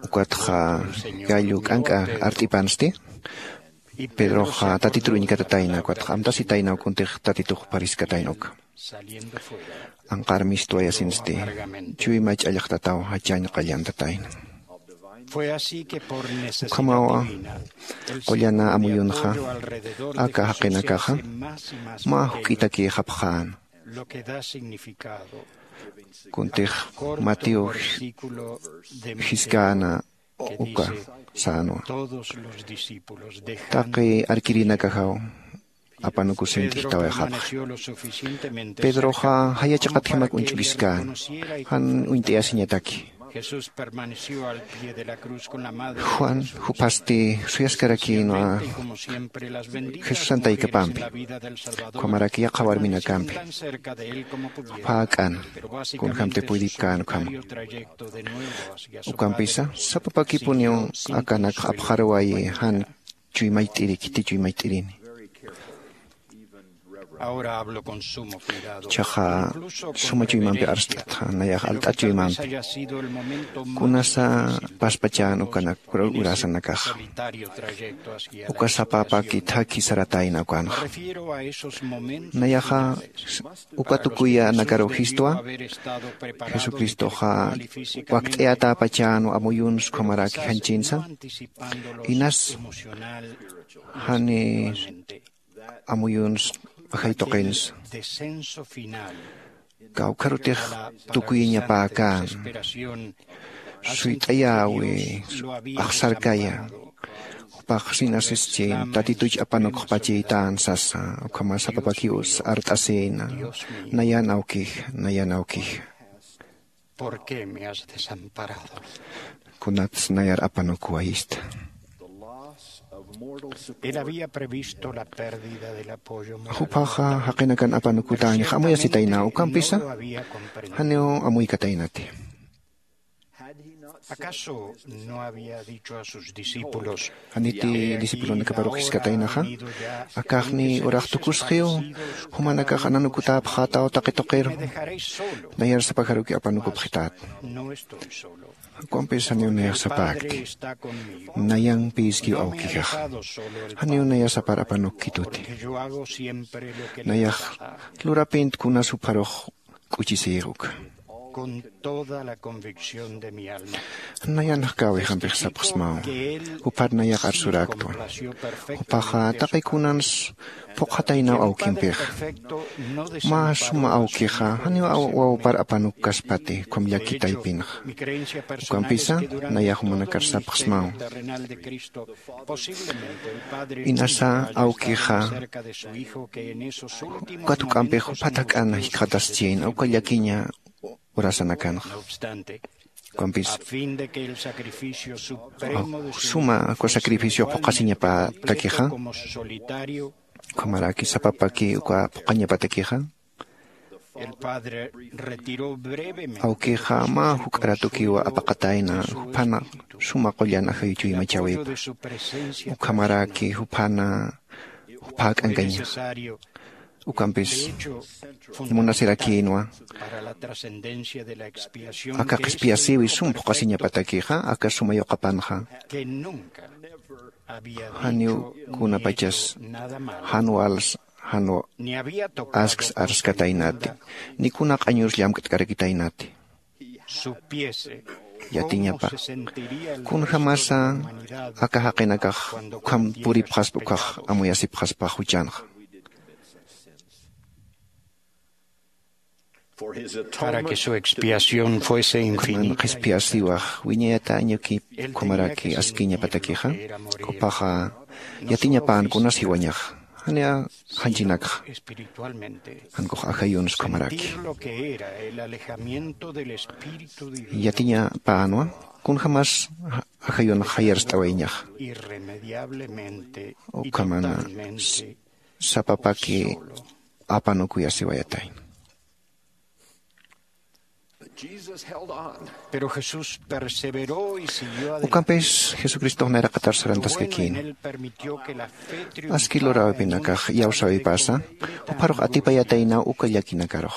Ukatxa gallo k'ank'a art'ipansti. Pedroxa tatitur uñkatatayna ukatxa amtasitaynaw kuntix tatitux pariskatayna uka. Anqar mistwayasinsti. Chuyma ch'allxtataw jachañ qallantatayna. Ukhamawa qullana amuyunxa aka jaqinakaxa mä juk'itakïxapxäna. Kuntix matiw jiskäna uka sänwa. Taqi arkirinakaxaw apanukusint'ijtawayxapxi. Pedroxa jayachaqatjimak uñch'ukiskäna. Jan uñt'ayasiñataki. Juan juphasti suyaskarakïnwa jesusan taykapampi. Ukhamaraki yaqha warminakampi jupha ak'an kunjämti puydipkän ukhama. Ukampisa sapapakipuniw akanakx apxaruwayi jan chuymayt'iri khiti chuymayt'irini. Ichaxa suma chuymampi arst'itxa nayax alt'at chuymampi kunasa paspachän ukanak urasanakaxa. Uka sapapaki thakhi saratayna ukanxa. Nayaxa uka tukuyanakaruw jistwa jesucristoxa wakt'ayatäpachänwa amuyuns ukhamaraki janchinsa. Inas jani amuyuns ajay tuqinsa. Kawkharutix tukuyañapäkän suyt'ayäwi axsarkaya. Jupax sinasischin tatituch apanukxpachïtän sasa ukhama sapapakiw art'asïna. Nayan awkija nayan awkija. ¿Por qué me has desamparado? Kunats nayar apanukuwayista. Él había previsto la pérdida del apoyo moral. Jupaxa jaqinakan apanukutäñax amuyasitayna ukampisa janiw amuykataynati. ¿Acaso no había dicho a sus discípulos? Janiti discipulonakaparux jiskataynaxa, akaxni urax tukusxiw, jumanakax ananukutäpxätaw taqi tuqiru, nayar sapajaruki apanukupxitat. Ukampis janiw nayax sapäkti, nayampïskiw awkixax, janiw naya sapar apanukkituti. Nayax lurapïnti kunas jupharux k'uchisïx uka. Nayan jkäwixampix sapxsmaw, juphar nayax arsuräktwa. Jupaxa taqi kunans phuqhataynaw awkimpixa. Mä suma awkixa janiw wawapar apanukkaspati ukham llaki taypinxa. Ukampisa nayax jumanakar sapxsmaw, inasa awkixa ukat juk'ampix juphat jak'an jikxataschïna uka llakiña urasanakanxa. Ukampis suma uka sacrificiox phuqhasiñapatakixa, ukhamaraki sapapaki uka phuqhañapatakixa, awkixa mä juk'a ratukiw apaqatayna, juphana suma qullan ajayu chuymachawipa, ukhamaraki juphana jupha jak'ankaña. Ukampis munasirakïnwa aka qhispiyasïwi sum phuqhasiñapatakixa, aka suma yuqapanxa janiw kunapachas jan wals jan asks arskataynati, ni kuna q'añurs llamk'tkarakitaynati. Yatiñapa kunjämasa aka jaqinakax ukham puripxaspa, ukkhax amuyasipxaspa juchanxa. Para que su expiación fuese infinita. Qhispiyasiwax wiñayatañakipa ukhamaraki askiñapatakixa, jupaxa yatiñapän kunas jiwañaxa, janiw janchinakxa, jankux ajayuns ukhamaraki. Yatiñapänwa kunjämas ajayunx jayarst'awayñaxa. Ukhamana sapapaki apanukuyasiwayatayna. Ukampis jesucristox nayraqatar sarantaskakïna. Aski luräwipinakax iyawsäwipasa jupharux atipayataynaw uka llakinakarux.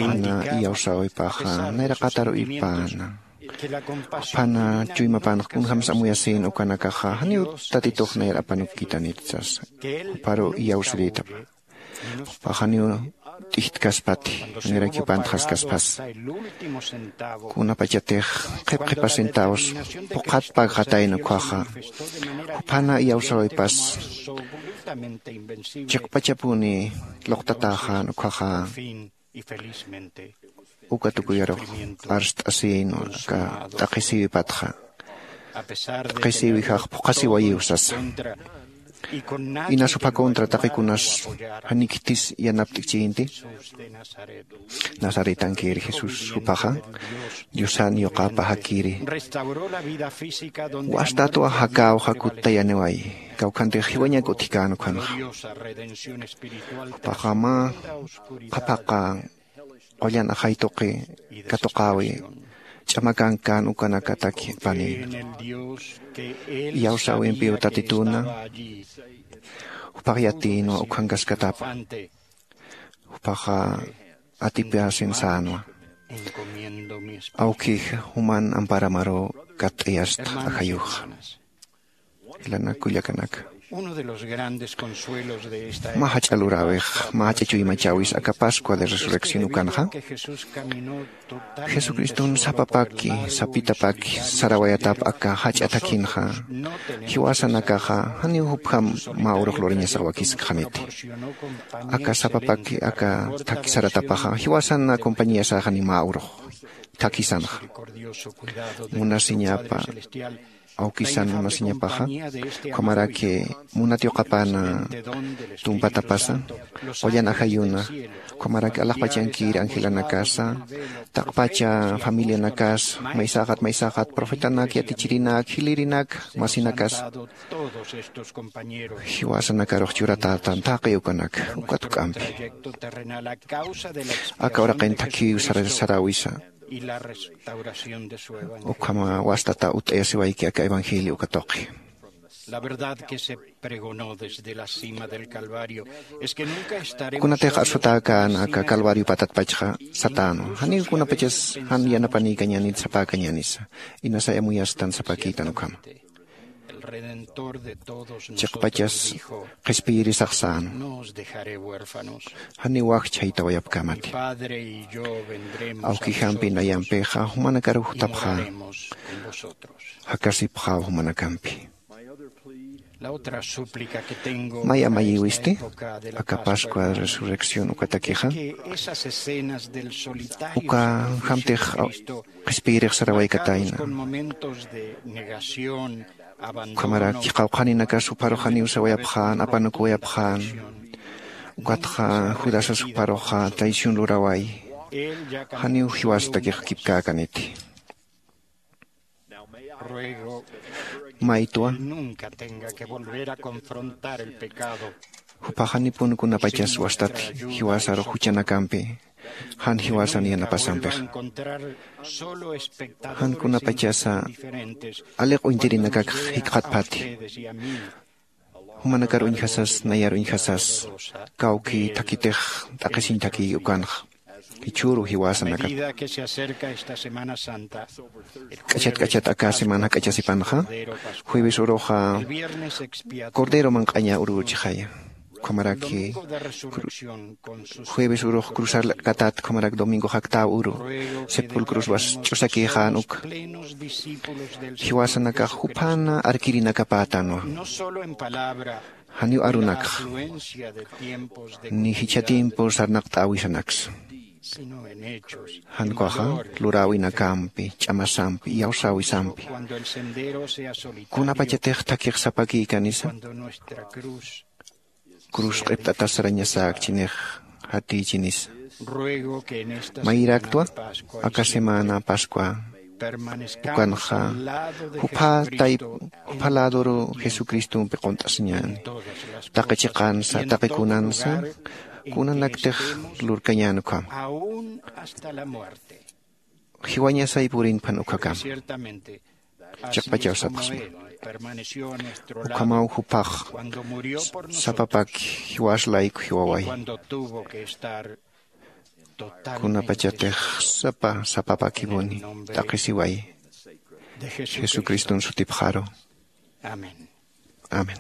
Pana iyawsäwipaxa nayraqatar uyipäna, pana chuymapanx kunjämsa amuyasïna ukanakaxa janiw tatitux nayar apanukkitanit sasa. Juparu iyawsirïtapa, jupax janiw t'ijtkaspati, janirakiw pantxaskaspas. Kunapachatix qhip qhipa centavos phuqhat pagxatayna ukkhaxa, juphana iyawsäwipas chiqpachapuni luqtatäxän ukkhaxa. Uka tukuyarux arst'asïnwa aka t'aqhisïwipatxa, t'aqhisïwijax phuqhasiwayiw sasa. Inas jupha contra taqi kunas janiw khitis yanapt'kchïnti. Nazaretankir jesús jupaxa diosan yuqapaxakiri. Wastatwa jakäwxa kuttayaniwayi, kawkhantix jiwañak utjkän ukhanxa. Jupaxa mä qhaphaqa qullan ajay tuqi katuqäwi ch'amakankan ukanakataki panïna. Iyawsäwimpiw tatituna jupax yatïnwa ukhankaskatapa. Jupaxa atipasin sänwa, awkix juman amparamaruw katt'ayasta ajayuxa. Jilanak kullakanaka, mä jach'a luräwix mä jach'a chuymachäwis aka pascua de resurrección ukanxa. Jesucriston sapapaki sapitapaki sarawayatap aka jach'a thakhinxa, jiwasanakaxa janiw jupjam mä urux lurañasax wakiskxaniti. Aka sapapaki aka thakhi saratapaxa jiwasan acompañayasäxani mä urux. thakisanxa. Munasiñapa awkisan munasiñapaxa, ukhamaraki munat yuqapana tumpatapasa qullan ajayuna, ukhamaraki alaxpachankir angelanakasa, taqpacha familianakasa, maysaxat maysaxat profetanak, yatichirinak, jilirinak, masinakasa, jiwasanakarux churatätan taqi ukanak ukat juk'ampi. Aka uraqin thakhiw sara- saräwisa ukhama wastata utt'ayasiwayki aka evangelio uka tuqi. Kunatix arsutäkän aka Calvario patatpachxa satänwa, janiw kunapachas jan yanapanïkañänit sapäkañänisa, inasay amuyastan sapakïtan ukhama. Chiqpachas qhispiyirisax sänwa, janiw wakchhaytawayapkämati. Awkijampi nayampixa jumanakaruw jutapxä, jakasipxäw jumanakampi. May amayiwisti aka Pascua Resurrección ukatakixa, uka jamtix qhispiyirix sarawaykatayna. Ukhamaraki qawqhaninakas jupharux janiw sawayapxän, apanukuwayapxän. Ukatxa Judasas jupharuxa traición luraway, janiw jiwasatakix kipkäkaniti. Maytwa juphax janipun kunapachas wastat jiwasarux juchanakampi, jan jiwasan yanapasampixa, jan kunapachasa aliq uñtirinakakx jikxatpati. Jumanakar uñjasas, nayar uñjasas, kawki thakitix t'aqhisiñ thakï ukanxa. Jichhüru jiwasanakat k'achat k'achat aka semana jak'achasipanxa, jueves uruxa Cordero manq'aña uruchixaya. Ukhamaraki jueves urux cruzar katat, ukhamarak domingo jaktäw uru sepulcroswas ch'usakïxän uka. Jiwasanakax juphan arkirinakapätanwa, janiw arunakxa ni jichha tiempo sarnaqt'äwisanaksa, jan ukaxa luräwinakampi, ch'amasampi, iyawsäwisampi. Kunapachatix thakix sapakïkanisa, cruz q'ipt'atas sarañasäkchinix jatïchinisa. Mayiraktwa aka semana Pascua ukanxa jupha tayp jupha ladoru Jesucristompi qunt'asiñäni, taqi chiqansa, taqi kunansa, kunanaktix lurkañän ukhama. Jiwañasay purinphan ukhakama. Chiqpachaw sapxsma, ukhamaw juphax sapapaki jiwas layku jiwaway. Kunapachatix sapa sapapakipuni t'aqhisiway. Jesucriston sutipxaru. Amén.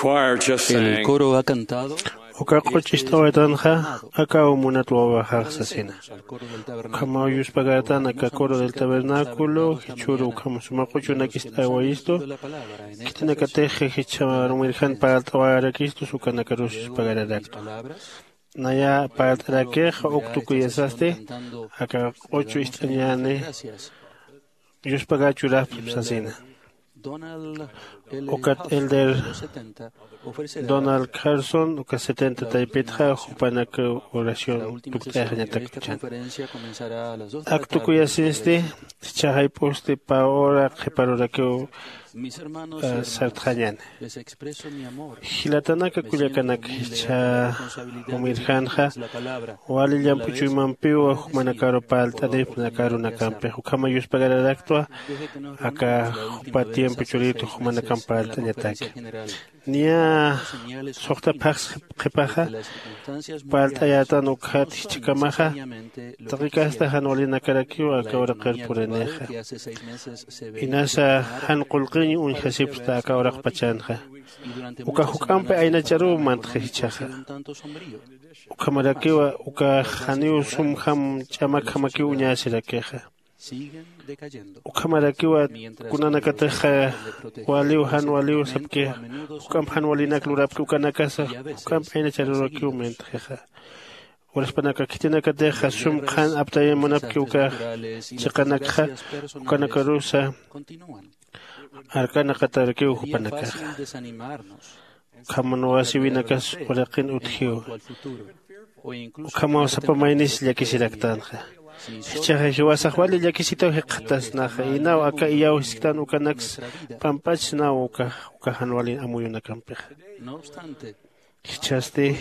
El coro ha cantado. Uka q'uch ist'awaytanxa akaw munat wawaxax sasina. Ukhamaw yuspagartan aka coro del tabernáculo jichhüru ukham suma q'uchunak ist'awayistu. Khitinakatix jichha rumirjan parlt'awayarakistu, ukanakarus yuspagararaktu. Naya parlt'arakix uk tukuyasasti aka q'uchu ist'añäni yuspagachurapxp sasina. Ukat elder Donald Carson uka setenta taypitxa jupanak oración tukt'ayaxañatak tuchan. Ak tukuyasinsti jichhaxay p'usti pä hora qhiparurakiw sartxañäni. Jilatanaka kullakanaka, jichha jumirjanxa wali llamp'u chuymampiw jumanakaru parlt'anipxi aka arunakampix. Ukhama yuspagaraktwa aka jupa tiempo churitu jumanakamp parlt'añataki. Niya suxta phaxs qhipaxa parlt'ayätan, ukkhat jichhakamaxa taqi kasta jan walinakarakiw aka uraqir purinixa. Inasa jan qullqiñ uñjasipxta aka uraqpachanxa. Uka juk'ampi aynacharuw mantxi jichhaxa. Ukhamarakiwa ukax janiw sumjam ch'amakjamakiw uñäsirakixa. Ukhamarakiwa kunanakatix waliw jan waliw sapkixa, juk'amp jan walinak lurapki ukanakasa juk'amp aynacharurakiw mantxixa. Uraspanaka khitinakatixa sum qhan aptayañ munapki ukax chiqanakxa, ukanakarusa arkanaqatarakiw jupanakaxa. Ukham nuwasiwinakas uraqin utjiw. Ukhamaw sapa maynis llakisiraktanxa. Jichhaxa jiwasax wali llakisitaw jikxatasnaxa, inaw aka iyaw jisktan ukanaks p'amp'achsnaw uka uka jan wali amuyunakampixa. Jichhasti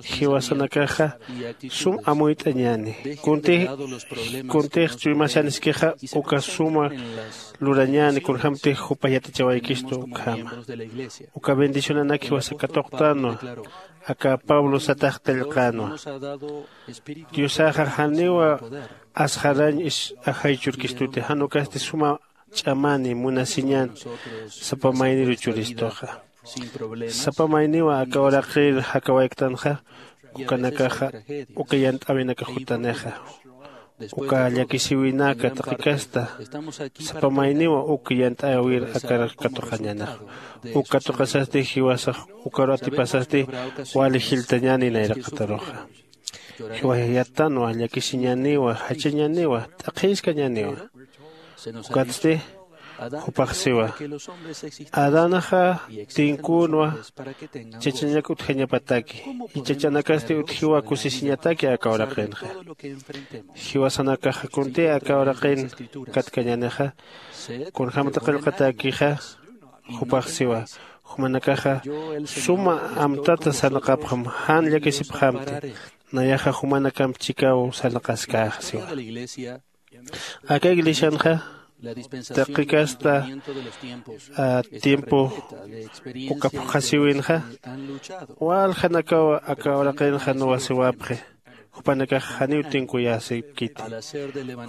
jiwasanakaxa sum amuyt'añäni. Kuntix kuntix chuymasaniskixa uka suma lurañäni kunjämtix jupa yatichawaykistu ukhama. Uka bendicionanak jiwasa katuqtänwa. Aka pablo satax qillqänwa. Diosaxa janiwa asxarañ is ajay churkistuti, jan ukasti suma ch'amani munasiñan sapa mayniru churistuxa. Sapa mayniwa aka uraqir jakawayktanxa, ukanakaxa uka yant'äwinakax jutanixa. Uka llakisiwinaka taqi kasta sapa mayniwa uk yant'äwir akar katuqañänixa. Uk katuqasasti jiwasax ukaru atipasasti wali jilltañäni nayraqataruxa. Jiwasax yattanwa, llakisiñäniwa, jachañäniwa, t'aqhïskañäniwa. Ukatsti jupax siwa, adanaxa tinkünwa chachañak utjañapataki, y chachanakasti utjiwa kusisiñataki aka uraqinxa. Jiwasanakaxa kuntï aka uraqin katkañänixa, kunjämata qillqatäkixa. Jupax siwa, jumanakaxa suma amtata sarnaqapxam, jan llakisipxamti. Nayaxa jumanakamp chikaw sarnaqaskäxa siwa. Aka iglesianxa taqi kasta tiempo uka phuqhasiwinxa, waljanakaw aka uraqinxa nuwasiwapxi. Jupanakax janiw tinkuyäsipkiti.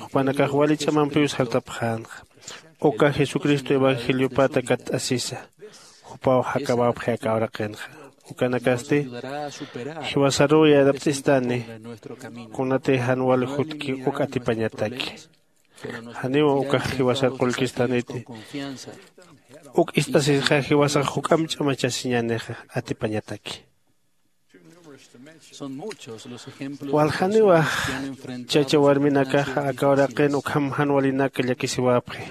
Jupanakax wali ch'amampiw sartapxänxa. Uka jesucristo evangeliopata katt'asisa jupaw jakawapxi aka uraqinxa. Ukanakasti jiwasaruw yanapt'istani kunatï jan wal jutki uk atipañataki. Janiw ukax jiwasar qullkistaniti. Uk ist'asisxa jiwasax juk'amp ch'amachasiñänixa atipañataki. Waljaniwa chacha warminakaxa aka uraqin ukham jan walinak llakisiwapxi.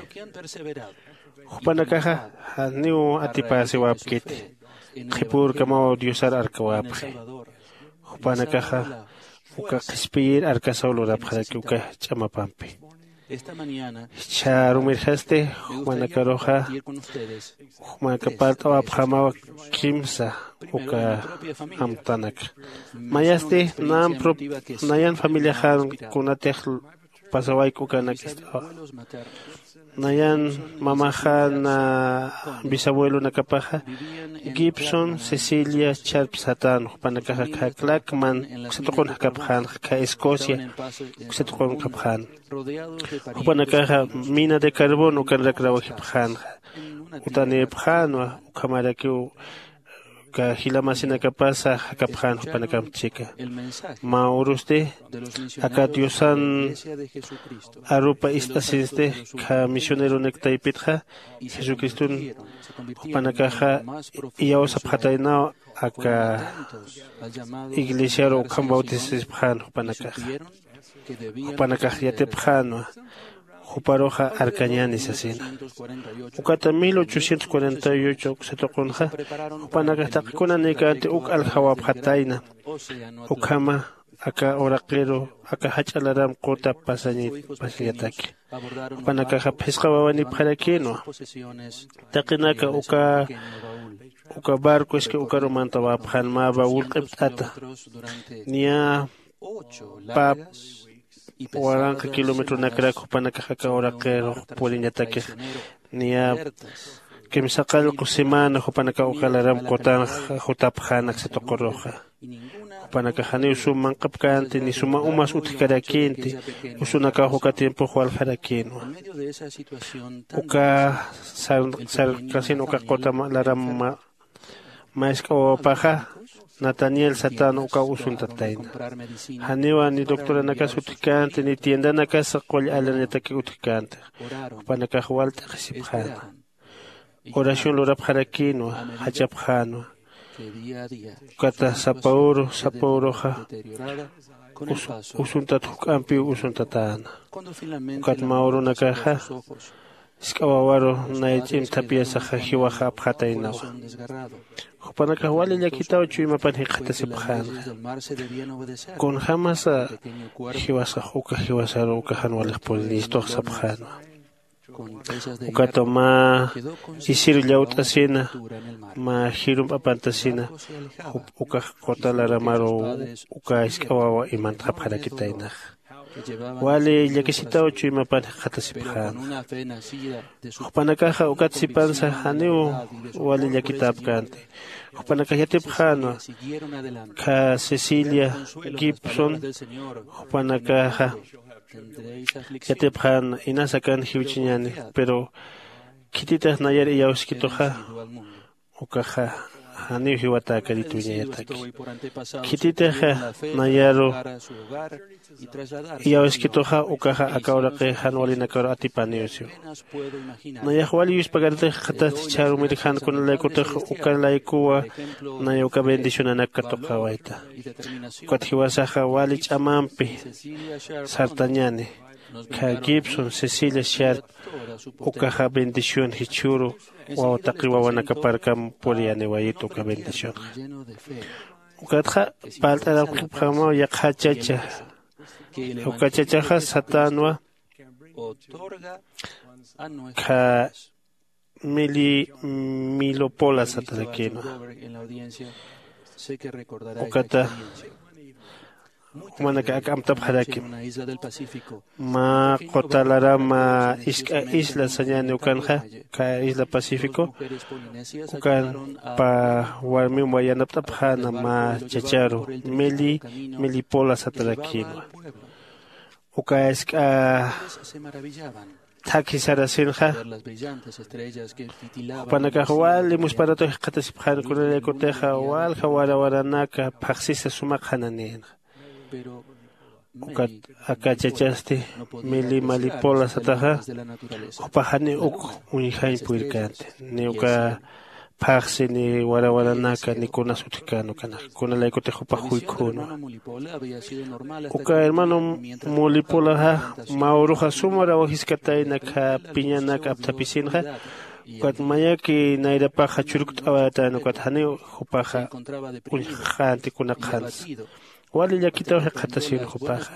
Jupanakaxa janiw atipäsiwapkiti. Qhipürkamaw diosar arkawapxi. Jupanakaxa uka qhispiyir arkasaw lurapxaraki uka ch'amapampi. Jichha rumirjasti jumanakaruxa jumanaka parlt'awapxamaw kimsa uka amtanaka. Mayasti nayan familiaxan kunatix pasawayku ukanak ist'awa. Nayan mamaxan bisabuelonakapaxa gibson cecilia charp satän. Jupanakaxa kha clackman uksa tuqun jakapxänxa, kha escocia uksa tuqun japxän. Jupanakaxa mina de carbón ukanrak rawajipxänxa. Utanïpxänwa ukhamarakiw Uka jilamasinakapasa jakapxän jupanakamp chika. Mä urusti aka diosan arupa ist'asinsti, kha misioneronak taypitxa jesucriston jupanakaxa iyawsapxataynaw aka iglesiaru ukham bautisasipxän jupanakaxa. Jupanakax yatipxänwa juparuxa arkañäni sasina. Ukata mil ochocientos cuarenta y ocho uksa tuqunxa jupanakax taqi kunanïkänti uk aljawapxatayna. Ukhama aka uraqiru aka jach'a laram quta pasañataki. Jupanakaxa phisqa wawanipxarakïnwa. Taqinaka uka uka barco es que ukaru mantawapxän mä baul q'ipt'ata. Niya pap waranqa kilometronakrak jupanakax aka uraqirux puriñatakix. Niya kimsaqallqu semana jupanakax uka laram qutanx jutapxän aksa tuquruxa. Jupanakax janiw sum manqapkänti ni suma umas utjkarakïnti. Usunakax uka tiempox waljarakïnwa. Uka sarkasin uka quta laram mä isk'a wawapaxa nataniel satänwa ukaw usuntatayna. Janiwa ni doctoranakas utjkänti ni tiendanakas qull alanañataki utjkänti. Jupanakax wal t'aqhisipxäna. Oración lurapxarakïnwa. Jachapxänwa. Ukata sapa uru sapa uruxa usuntat juk'ampiw usuntatäna. Ukat mä urunakaxa isk'a wawaru nay ch'imthapiyasaxa jiwaxa apxataynawa. Jupanakax wali llakitaw chuymapan jikxatasipxänxa. Kunjämasa jiwasax uka jiwasaru uka jan walix purinistuxa sapxänwa. Ukata mä isiru llawt'asina mä jirump'apantasina. Ukax quta laramaru uka isk'a wawa imantxapxarakitaynaxa. Wali llakisitaw chuymapan jikxatasipxäna. Jupanakaxa ukat sipansa janiw wali llakitäpkänti. Jupanakax yatipxänwa. Kha cecilia gibson jupanakaxa yatipxän inas akan jiwchiñäni. Pero khititix nayar iyawskituxa ukaxa janiw jiwatäkarit wiñayataki. Khititixa nayaru iyawskituxa ukaxa aka uraqi jan walinakaru atipaniw siwa. Nayax wali yuspagaritix qhatasti chharumir jan kunalaykutix ukalaykuwa. Naya uka bendicionanak katuqawayta. Ukat jiwasaxa wali ch'amampi sartañani. Kha gibson cecilia shart ukaxa bendición jichhüru waw taqi wawanakaparkam puriyaniwayit uka bendicionxa. Ukatxa parlt'arapxipxamaw yaqha chacha. Uka chachaxa satänwa kha mili milopola satarakïnwa. Ukata jumanaka ak'amtapxarakim. Mä qutalarama isk'a isla sañäni ukanxa kha isla pacífico. Ukan pa warmim wayanapt'apxäna mä chacharu mili milipola satarakïnwa. Uka isk'a thakhi sarasinxa jupanakax wali musparatu jikxatasipxän kunalaykutixa walja warawaranaka phaxsisa sumaq jananïnxa. Ukat aka chachasti mili malipola sataxa jupax janiw uk uñjañ purirkänti ni uka phaxsi ni warawaranaka ni kunas utjkän ukanak kunalaykutix jupax juykhünwa. Uka hermano mulipolaxa mä uruxa suma rawajiskatayna kha piñanak apthapisinxa. Ukat mayaki nayrapaxa churkt'awayatayna ukat janiw jupaxa uñjxänti kunaqxansa. Wali llakitaw jikxatasin jupaxa.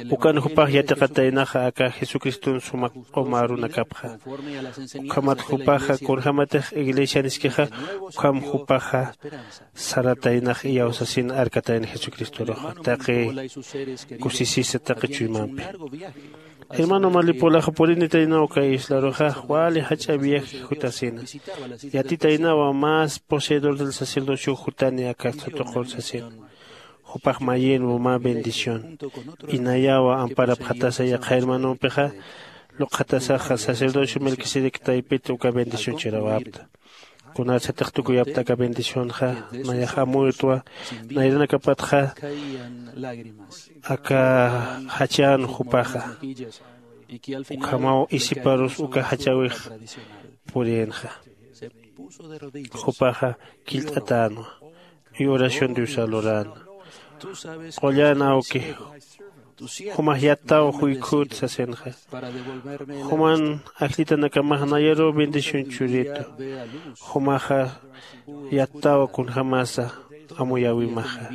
Ukan jupax yatiqataynaxa aka jesucriston suma q'uma arunakapxa. Ukhamat jupaxa kunjämatix iglesianiskixa ukham jupaxa sarataynax iyawsasin arkatayna jesucristoruxa taqi kusisisa taqi chuymampi. Hermano malipulaxa purinitaynaw uka islaruxa wali jach'a viaje jutasina. Yatitaynawa más poseedor del sacerdocio jutani aka satuqur sasina. Jupax mayinwa mä bendición. Inayawa amparapxatasa yaqha hermanompixa luqjatasaxa sacerdocio melquisedec taypit uka bendición chirawapta. Kunarsatix tukuyapta aka bendicionxa, nayax amuytwa. Nayranakapatxa aka jachan jupaxa ukhamaw isiparus uka jachawix purïnxa. Jupaxa killt'atänwa y oración diosar luräna. Qullan awki, jumax yattaw juykhüt sasinxa. Juman ajllitanakamax nayaruw bendición churitu. Jumaxa yattaw kunjämasa amuyäwimaxa.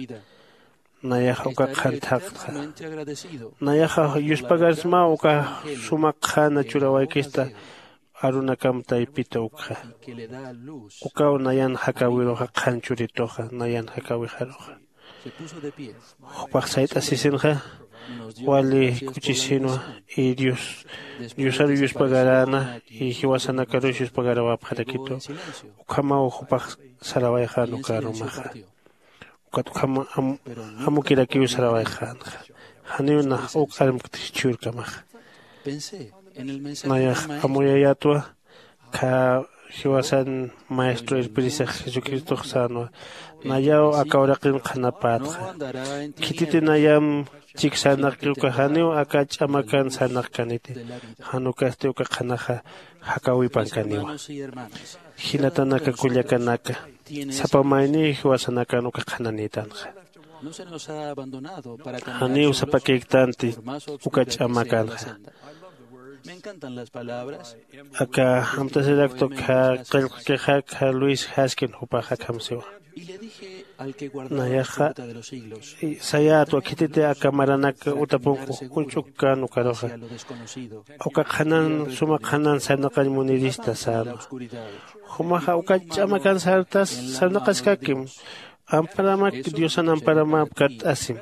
Nayaxa uka qhan thaqtxa. Nayaxa yuspagarsmaw uka suma qhana churawaykista arunakam taypita ukxa. Ukaw nayan jakäwiruxa qhan churituxa nayan jakäwixaruxa. Jupax sayt'asisinxa wali k'uchisinwa. Y dios diosaru yuspagaräna y jiwasanakarus yuspagarawapxarakitu. Ukhamaw jupax sarawayxän uka arumaxa. Ukat ukham amukirakiw sarawayxänxa. Janiw nax uk armkt jichhürkamaxa. Nayax amuyayätwa. Khä jiwasan maestro irpirisax jesucristox sänwa. Nayaw aka uraqin qhanapätxa. Khititi nayam chik sarnaqki uka janiw aka ch'amakan sarnaqkaniti. Jan ukasti uka qhanaxa jakäwipankaniwa. Jinatanaka kullakanaka, sapa mayniw jiwasanakan uka qhananïtanxa. Janiw sapakïktanti uka ch'amakanxa. Aka amtasiraktwa khä qillqkixa khä luis jaskin jupax akham siwa. Nayaxa sayätwa khititi aka maranak utapunku juch'uk kän ukaruxa, uka qhanan suma qhanan sarnaqañ munirista sänwa. Jumaxa uka ch'amakan sartas sarnaqaskakim. Amparamak diosan amparamap katt'asim.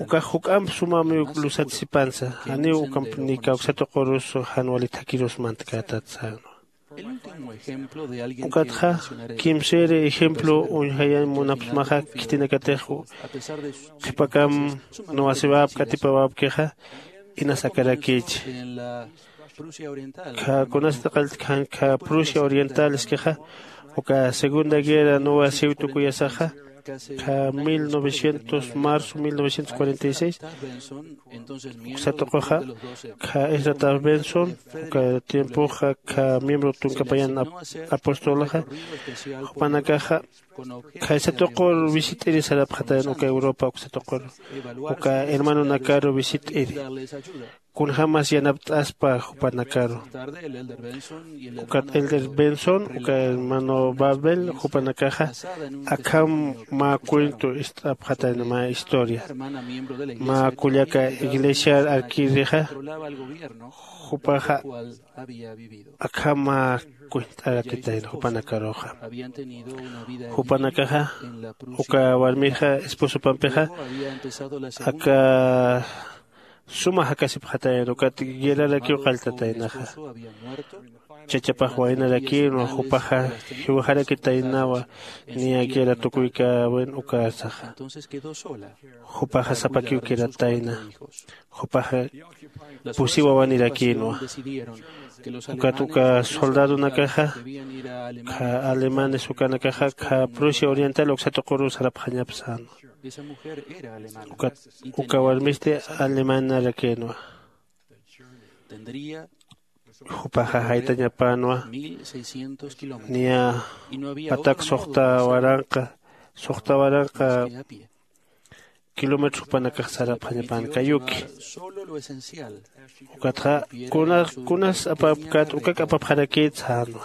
Ukax juk'amp sumamiw lusat sipansa. Janiw ukamp ni kawsa tuqurus jan wali thakirus mantkätat sänwa. Ukatxa kimsïri ejemplo uñjayañ munapxsmaxa. Khitinakatix qhipakam nuwasiwäpki atipawäpkixa inas akarakïchi. Khä kunasatix qalltkxän khä prusia oriental iskixa uka segunda guerra nuwasiw tukuyasaxa. Khä mil novecientos marzo mil novecientos cuarenta y seis uksa tuquxa khä isratax benson uka tiempoxa khä miembro tunka payan apostolxa jupanakaxa khä isatuqur visit'iri sarapxatayan uka europa uksa tuqur uka hermanonakaru visit'iri kunjämas yanapt'aspa jupanakaru. Ukat elder benson uka hermano babel jupanakaxa akham mä cuento ist'apxatayan mä historia mä kullaka iglesiar arkirixa jupaxa akham mä cuent'aratitayan jupanakaruxa. Jupanakaxa uka warmixa esposopampixa aka suma jakasipxatayan ukat guerrarakiw qalltataynaxa. Chachapax waynarakïnwa jupaxa jiwajarakitaynawa niya guerra tukuykäwin ukarsaxa. Jupaxa sapakiw quedatayna. Jupaxa pusi wawanirakïnwa. Ukat uka soldadonakaxa khä alemanes ukanakaxa khä prusia oriental uksa tuquru sarapxañap sänwa. Ukat uka warmisti alemanarakïnwa. Jupaxa jaytañapänwa niya patak suxta waranqa suxta waranqa kilómetros jupanakax sarapxañapän kayuki. Ukatxa kunas apapkät ukak apapxarakït sänwa.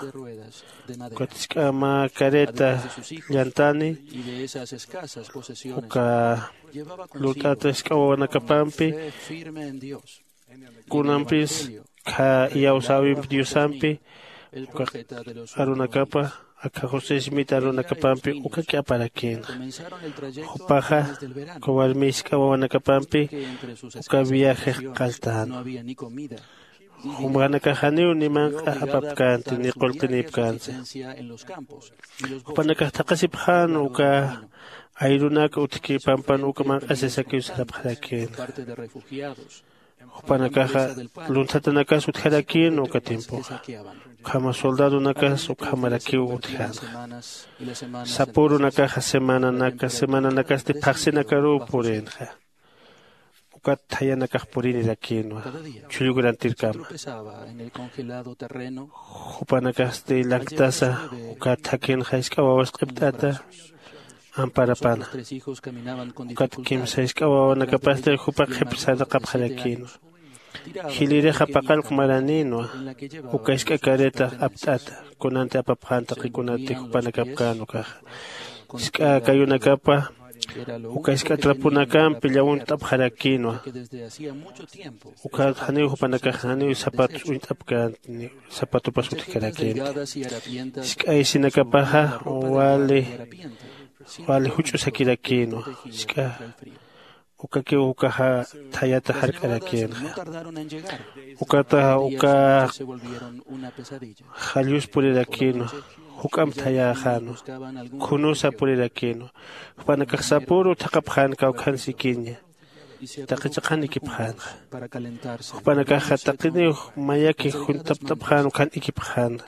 Ukat jisk'a mä carreta llantani uka lurt'ata jisk'a wawanakapampi kunampis khä iyawsäwimp diosampi uka arunakapa akha josé smit arunakapampi uka k'aparakïna. Jupaxa uka warmi jisk'a wawanakapampi uka viajex qalltänwa. Jumanakax janiw ni manq'a apapkänti ni qullqinïpkänsa. Jupanakax thaqhasipxän uka ayrunak utjki pampan uka manq'asisakiw sarapxarakïna. Jupanakaxa lunthatanak utjarakïnwa uka tiempoxa. Ukhama soldadonakas ukhamarakiw utjänxa. Sapürunakaxa semananaka semananakasti phaxsinakaruw purïnxa. Ukat thayanakax purinirakïnwa chhullu grantirkama. Jupanakasti lanktasa ukat jakhinxa jisk'a wawas q'ipt'ata amparapana. Ukat kimsa jisk'a wawanakapasti jupax qhipsarnaqapxarakïnwa. Jilïrixa paqallq maranïnwa. Uka jisk'a carreta apt'ata kunanti apapxän taqi kunati jupanakapkän ukaxa. Jisk'a kayunakapa uka jisk'a traponakampi llawunt'apxarakïnwa. Ukat janiw jupanakax janiw zapatos uñt'apkänti, zapatopas utjkarakïnti. Jisk'a isinakapaxa wali wali juch'usakirakïnwa. Jisk'a ukakiw ukaxa thayata jark'arakïnxa. Ukata uka jallus purirakïnwa. Juk'amp thayäxänwa. Khunusa purirakïnwa. Jupanakax sapüru thaqhapxän kawkhan sikiña. Taqi chiqan ikipxänxa. Jupanakaxa taqiniw mayaki juntapt'apxän ukkhan ikipxänxa.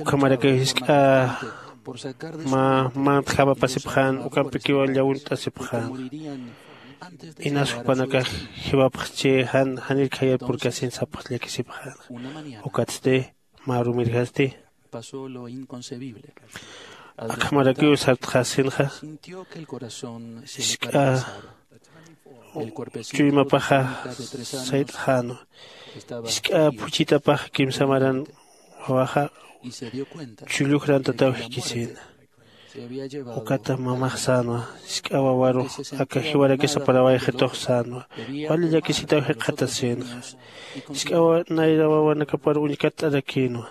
Ukhamarakiw jisk'a mä mantjamapasipxän ukampikiw llawunt'asipxän. Inas jupanakax jiwapxchi jan janir khayar purkasin sapxch llakisipxän. Ukatsti mä rumirjasti akhamarakiw sartxasinxa. Jisk'a chuymapaxa sayt'xänwa. Jisk'a phuchhitapax kimsa maran wawaxa chhullujrantataw jikisïna. Ukata mamax sänwa. Jisk'a wawarux aka jiwarakisa parawayxitux sänwa. Wali llakisitaw jikxatasïnxa. Jisk'a nayra wawanakapar uñkatt'arakïnwa.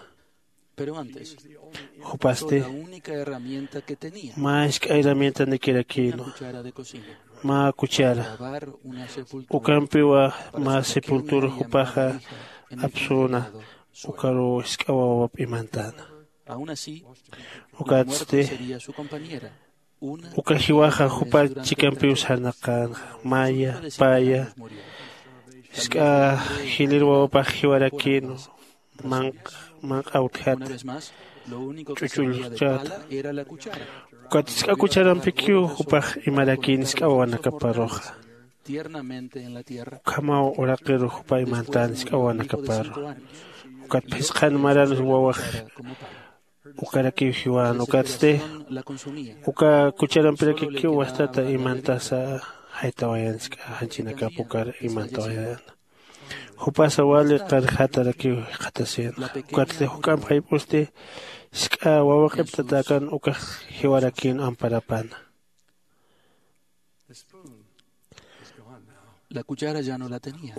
Jupasti mä jisk'a herramientanikirakïnwa. Mä cuchara ukampiwa mä sepultura jupaxa apsüna. Ukaruw jisk'a wawap imantäna. Ukatsti uka jiwaxa jupa chikampiw sarnaqänxa. Maya paya jisk'a jilïr wawapax jiwarakïnwa. Manq'a manq'a utjata ch'uch'ullchata. Ukat jisk'a kucharampikiw jupax imarakïn jisk'a wawanakaparuxa. Ukhamaw uraqiru jupa imantän jisk'a wawanakaparu. Ukat phisqhan maran wawax ukarakiw jiwän ukatsti uka kucharampirakikiw wastata imantasa jaytawayan jisk'a janchinakap ukar imantawayana. Jupasa wali qarjatarakiw jikxatasïnxa. Ukatsti juk'amp jayp'usti jisk'a wawa q'ipt'atäkan ukax jiwarakïn amparapana.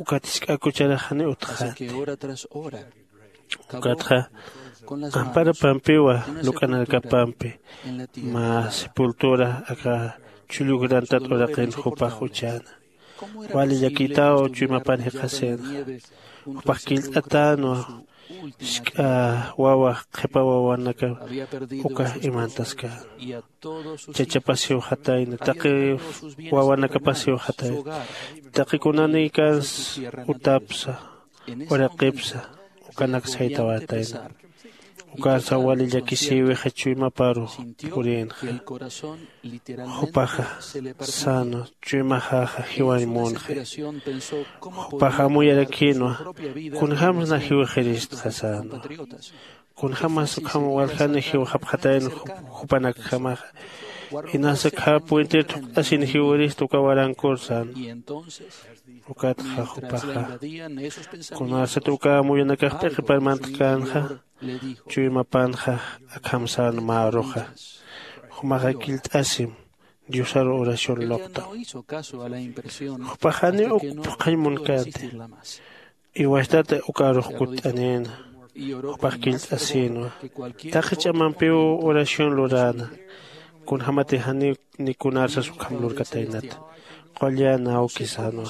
Ukat jisk'a kucharax janiw utjxänti. Ukatxa amparapampiwa luk'anakapampi mä sepultura aka chhullujrantat uraqin jupax uchäna. Wali llakïtaw chuymapan jikxasïnxa. Jupax killt'atänwa. Jisk'a wawa qhipa wawanaka uka imantaskän. Chachapasiw jatayna taqi wawanakapasiw jatayna. Taqi kunanïkans utapsa uraqipsa ukanak saytawatayna. Ukansa wali llakisïwixa chuymaparu purïnxa. Jupaxa sänwa. Chuymaxaxa jiwañ munxi. Jupaxa amuyarakïnwa. Kunjämsa na jiwxiristxa sänwa. Kunjämas ukham waljani jiwxapxatayna jupanakjamaxa. Inasa khä puentir thuk'asin jiwirista uka warankur sänwa. Ukatxa jupaxa kunasat uka amuyunakax p'iqipar mantjkänxa. Chuymapanxa akham sänwa mä aruxa. Jumaxa killt'asim diosaru oración luqta. Jupax janiw uk phuqhañ munkänti. Iwastata uka arux kutt'anïna. Jupax killt'asïnwa. Taqi ch'amampiw oración luräna. Kunjämati janiw ni kunarsas ukham lurkataynata. Qullana awki sänwa.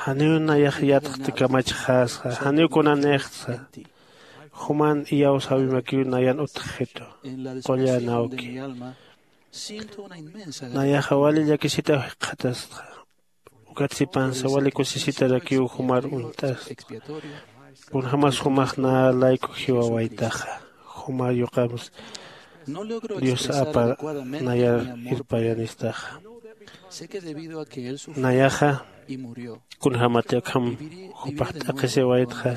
Janiw nayax yatxti kamachxäsxa janiw kunanïxtsa. Juman iyawsäwimakiw nayan utjxitu. Qullana awki nayaxa wali llakisitaw jikxatastxa. Ukat sipansa wali kusisitarakiw jumar uñt'asta. Kunjämas jumax nä layku jiwawaytaxa, jumar yuqams Dios apar nayar irpayanistaxa. Nayaxa kunjämati akham jupax t'aqhisiwaytxa,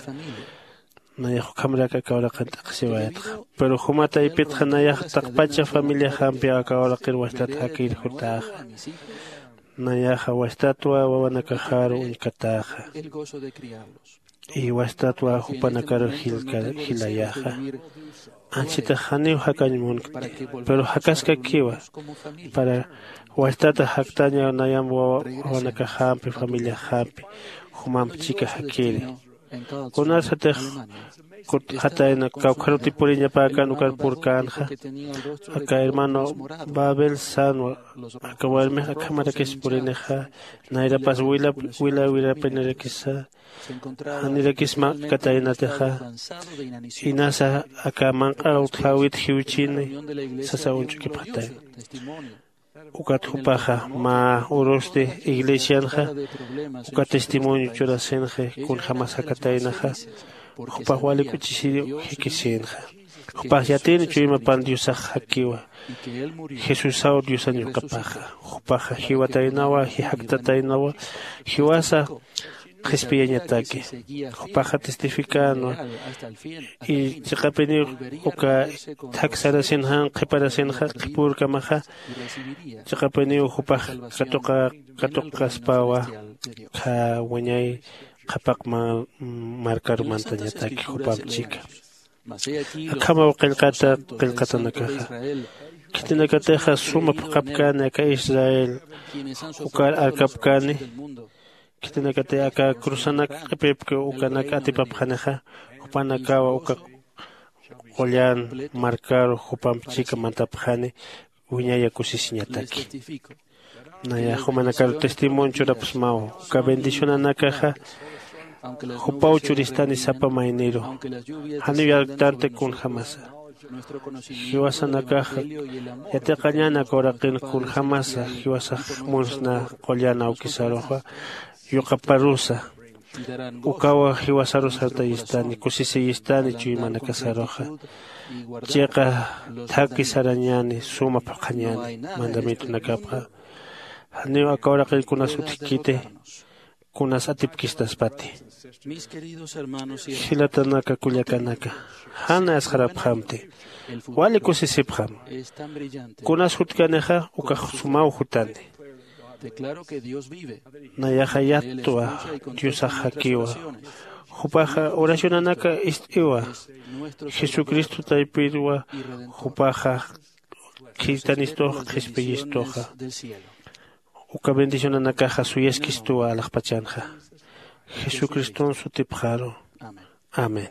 nayax ukhamrak aka uraqin t'aqhisiwaytxa. Pero juma taypitxa nayax taqpacha familiaxampi aka uraqir wastat jakir jutäxa. Nayaxa wastatwa wawanakaxaru uñkatäxa, y wastatwa jupanakaru jilayaxa. Anchitax janiw jakañ munkti, pero jakaskakiwa para wastata jaktaña nayam wawanakaxampi familiaxampi jumamp chika jakiri. Kunarsatix kutxatayna kawkharutipuriñapäkan ukar purkänxa. Aka hermano babel sanwa aka warmix akhamarakis purinixa, nayrapas wila wila wirapinirakisa, janirakis mak'kataynatixa. Inasa aka manq'a utjäwit jiwchini sasa uñch'ukipxatayna. Ukat jupaxa mä urusti iglesianxa uka testimonio churasinxi kunjämas jakataynaxa. Jupax wali k'uchisiriw jikisïnxa. Jupax yatiyni chuymapan diosax jakiwa. Jesusaw diosañ yuqapaxa. Jupaxa jiwataynawa jijaktataynawa jiwasa qhispiyañataki. Jupaxa testificänwa. Y chiqapiniw uka thak sarasin jan qhiparasinxa qhipürkamaxa, chiqapiniw jupax katuqa katuqaspawa. Kha wiñay qhapaq markaru mantañataki jupamp chika. Akhamaw qillqata qillqatanakaxa. Khitinakatixa suma phuqhapkani aka israel ukar arkapkani. Khitinakati aka cruzanak q'ipipki ukanak atipapxanixa, jupanakawa uka qullan markaru jupamp chika mantapxani. Wiñaya kusisiñataki. Nayax jumanakaru testimonio churapxsmaw. Uka bendicionanakaxa jupaw churistani sapa mayniru. Janiw yarktanti kunjämasa. Jiwasanakaxa yatiqañäni aka uraqin kunjämasa jiwasax munsna qullan awkisaruxa yuqaparusa. Ukawa jiwasarus sartayistani kusisiyistani chuymanakasaruxa. Chiqa thaki sarañäni suma phuqhañäni mandamientonakapxa. Janiw aka uraqin kunas utjkiti kunas atipkistaspati. Jilatanaka kullakanaka, jan asxarapxamti. Wali kusisipxam. Kunas jutkanixa ukax sumaw jutani. Nayaxa yattwa diosax jakiwa. Jupaxa oracionanaka ist'iwa. Jesucristo taypirwa. Jupaxa khirtanistuxa qhispiyistuxa. Uka bendicionanakaxa suyaskistuwa alaxpachanxa. Jesucriston sutipxaru. Amén.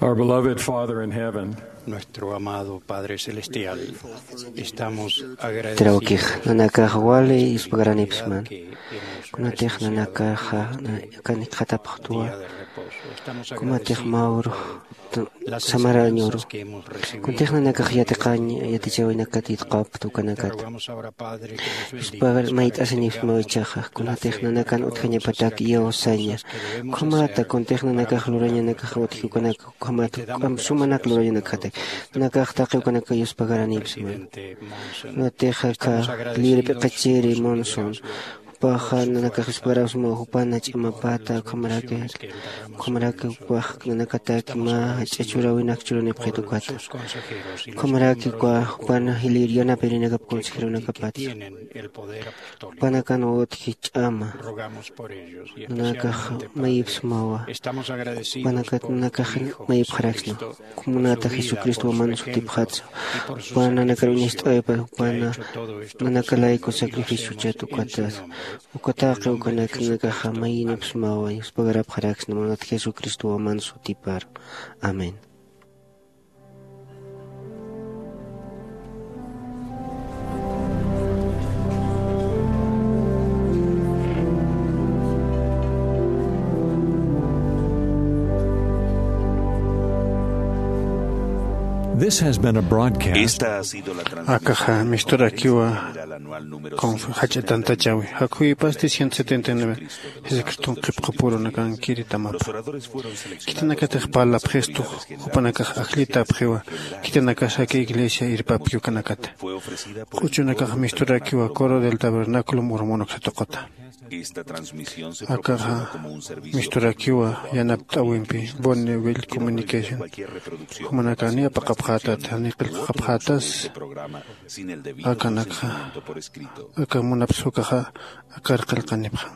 Our beloved Father in heaven, Nuestro amado Padre Celestial, estamos agradecidos. Trawkix nanakax wali yuspagaranipisman. Kunatix nanakaxa kanikxatapxtwa, kumatix mawru samarañuru. Kuntix nanakax yatiqañ yatichawinakat yitqapxta ukanakat. Yuspagar mayt'asinipsmaw ichaxa, kunatix nanakan utjañapatak iyawsaña. Ukhamata kuntix nanakax lurañanakax utji ukanak ukhamat juk'amp sumanak lurañanakjatak. Nanakax taqi ukanaka yuspagaranipisman. Kunatix aka libre p'iqichiri Monson, jupaxa nanakax yuspagarapsmaw, jupana ch'amapata ukhamaraki, ukhamaraki jupax nanakataki mä jach'a churawinak churanipxit ukata. Ukhamaraki ukwa jupana jilïr yanapirinakap consejeronakapatsa. Jupanakan utji ch'ama. Nanakax mayipsmawa. Jupanakat nanakax mayipxaraksna. Kunata Jesucristo waman sutipxatsa. Jupan nanakar uñast'awipa, jupana nanakalayku sacrificio chatukatas. Ukataqi ukanak nanakaxa mayinipsmawa, yuspagarapxaraksna, munat Jesucristo waman sutipar. Amén. This has been a broadcast. Esta ha sido la transmisión. Akaxa misturakiwa general anual número conf-, jach'a tantachawi. Jakhuypas ciento setenta y nueve. Jesucriston qhipqapurunakankiri tamapa. Los oradores fueron seleccionados. Khitinakatix parlapxistu, jupanakax ajllitapxiwa, khitinakax aka iglesia irpapki ukanakata. Q'uchunakax misturakiwa Coro del Tabernáculo Mormonak satuqata. Esta transmisión se proporciona como un servicio. Akaxa misturakiwa yanapt'awimpi Bonneville Communication. Cualquier reproducción. Jumanakani apaqapxätat, ni qillqapxätas. Este programa, sin el debido akanakxa consentimiento por escrito. Aka munapsukaxa akar qillqanipxa.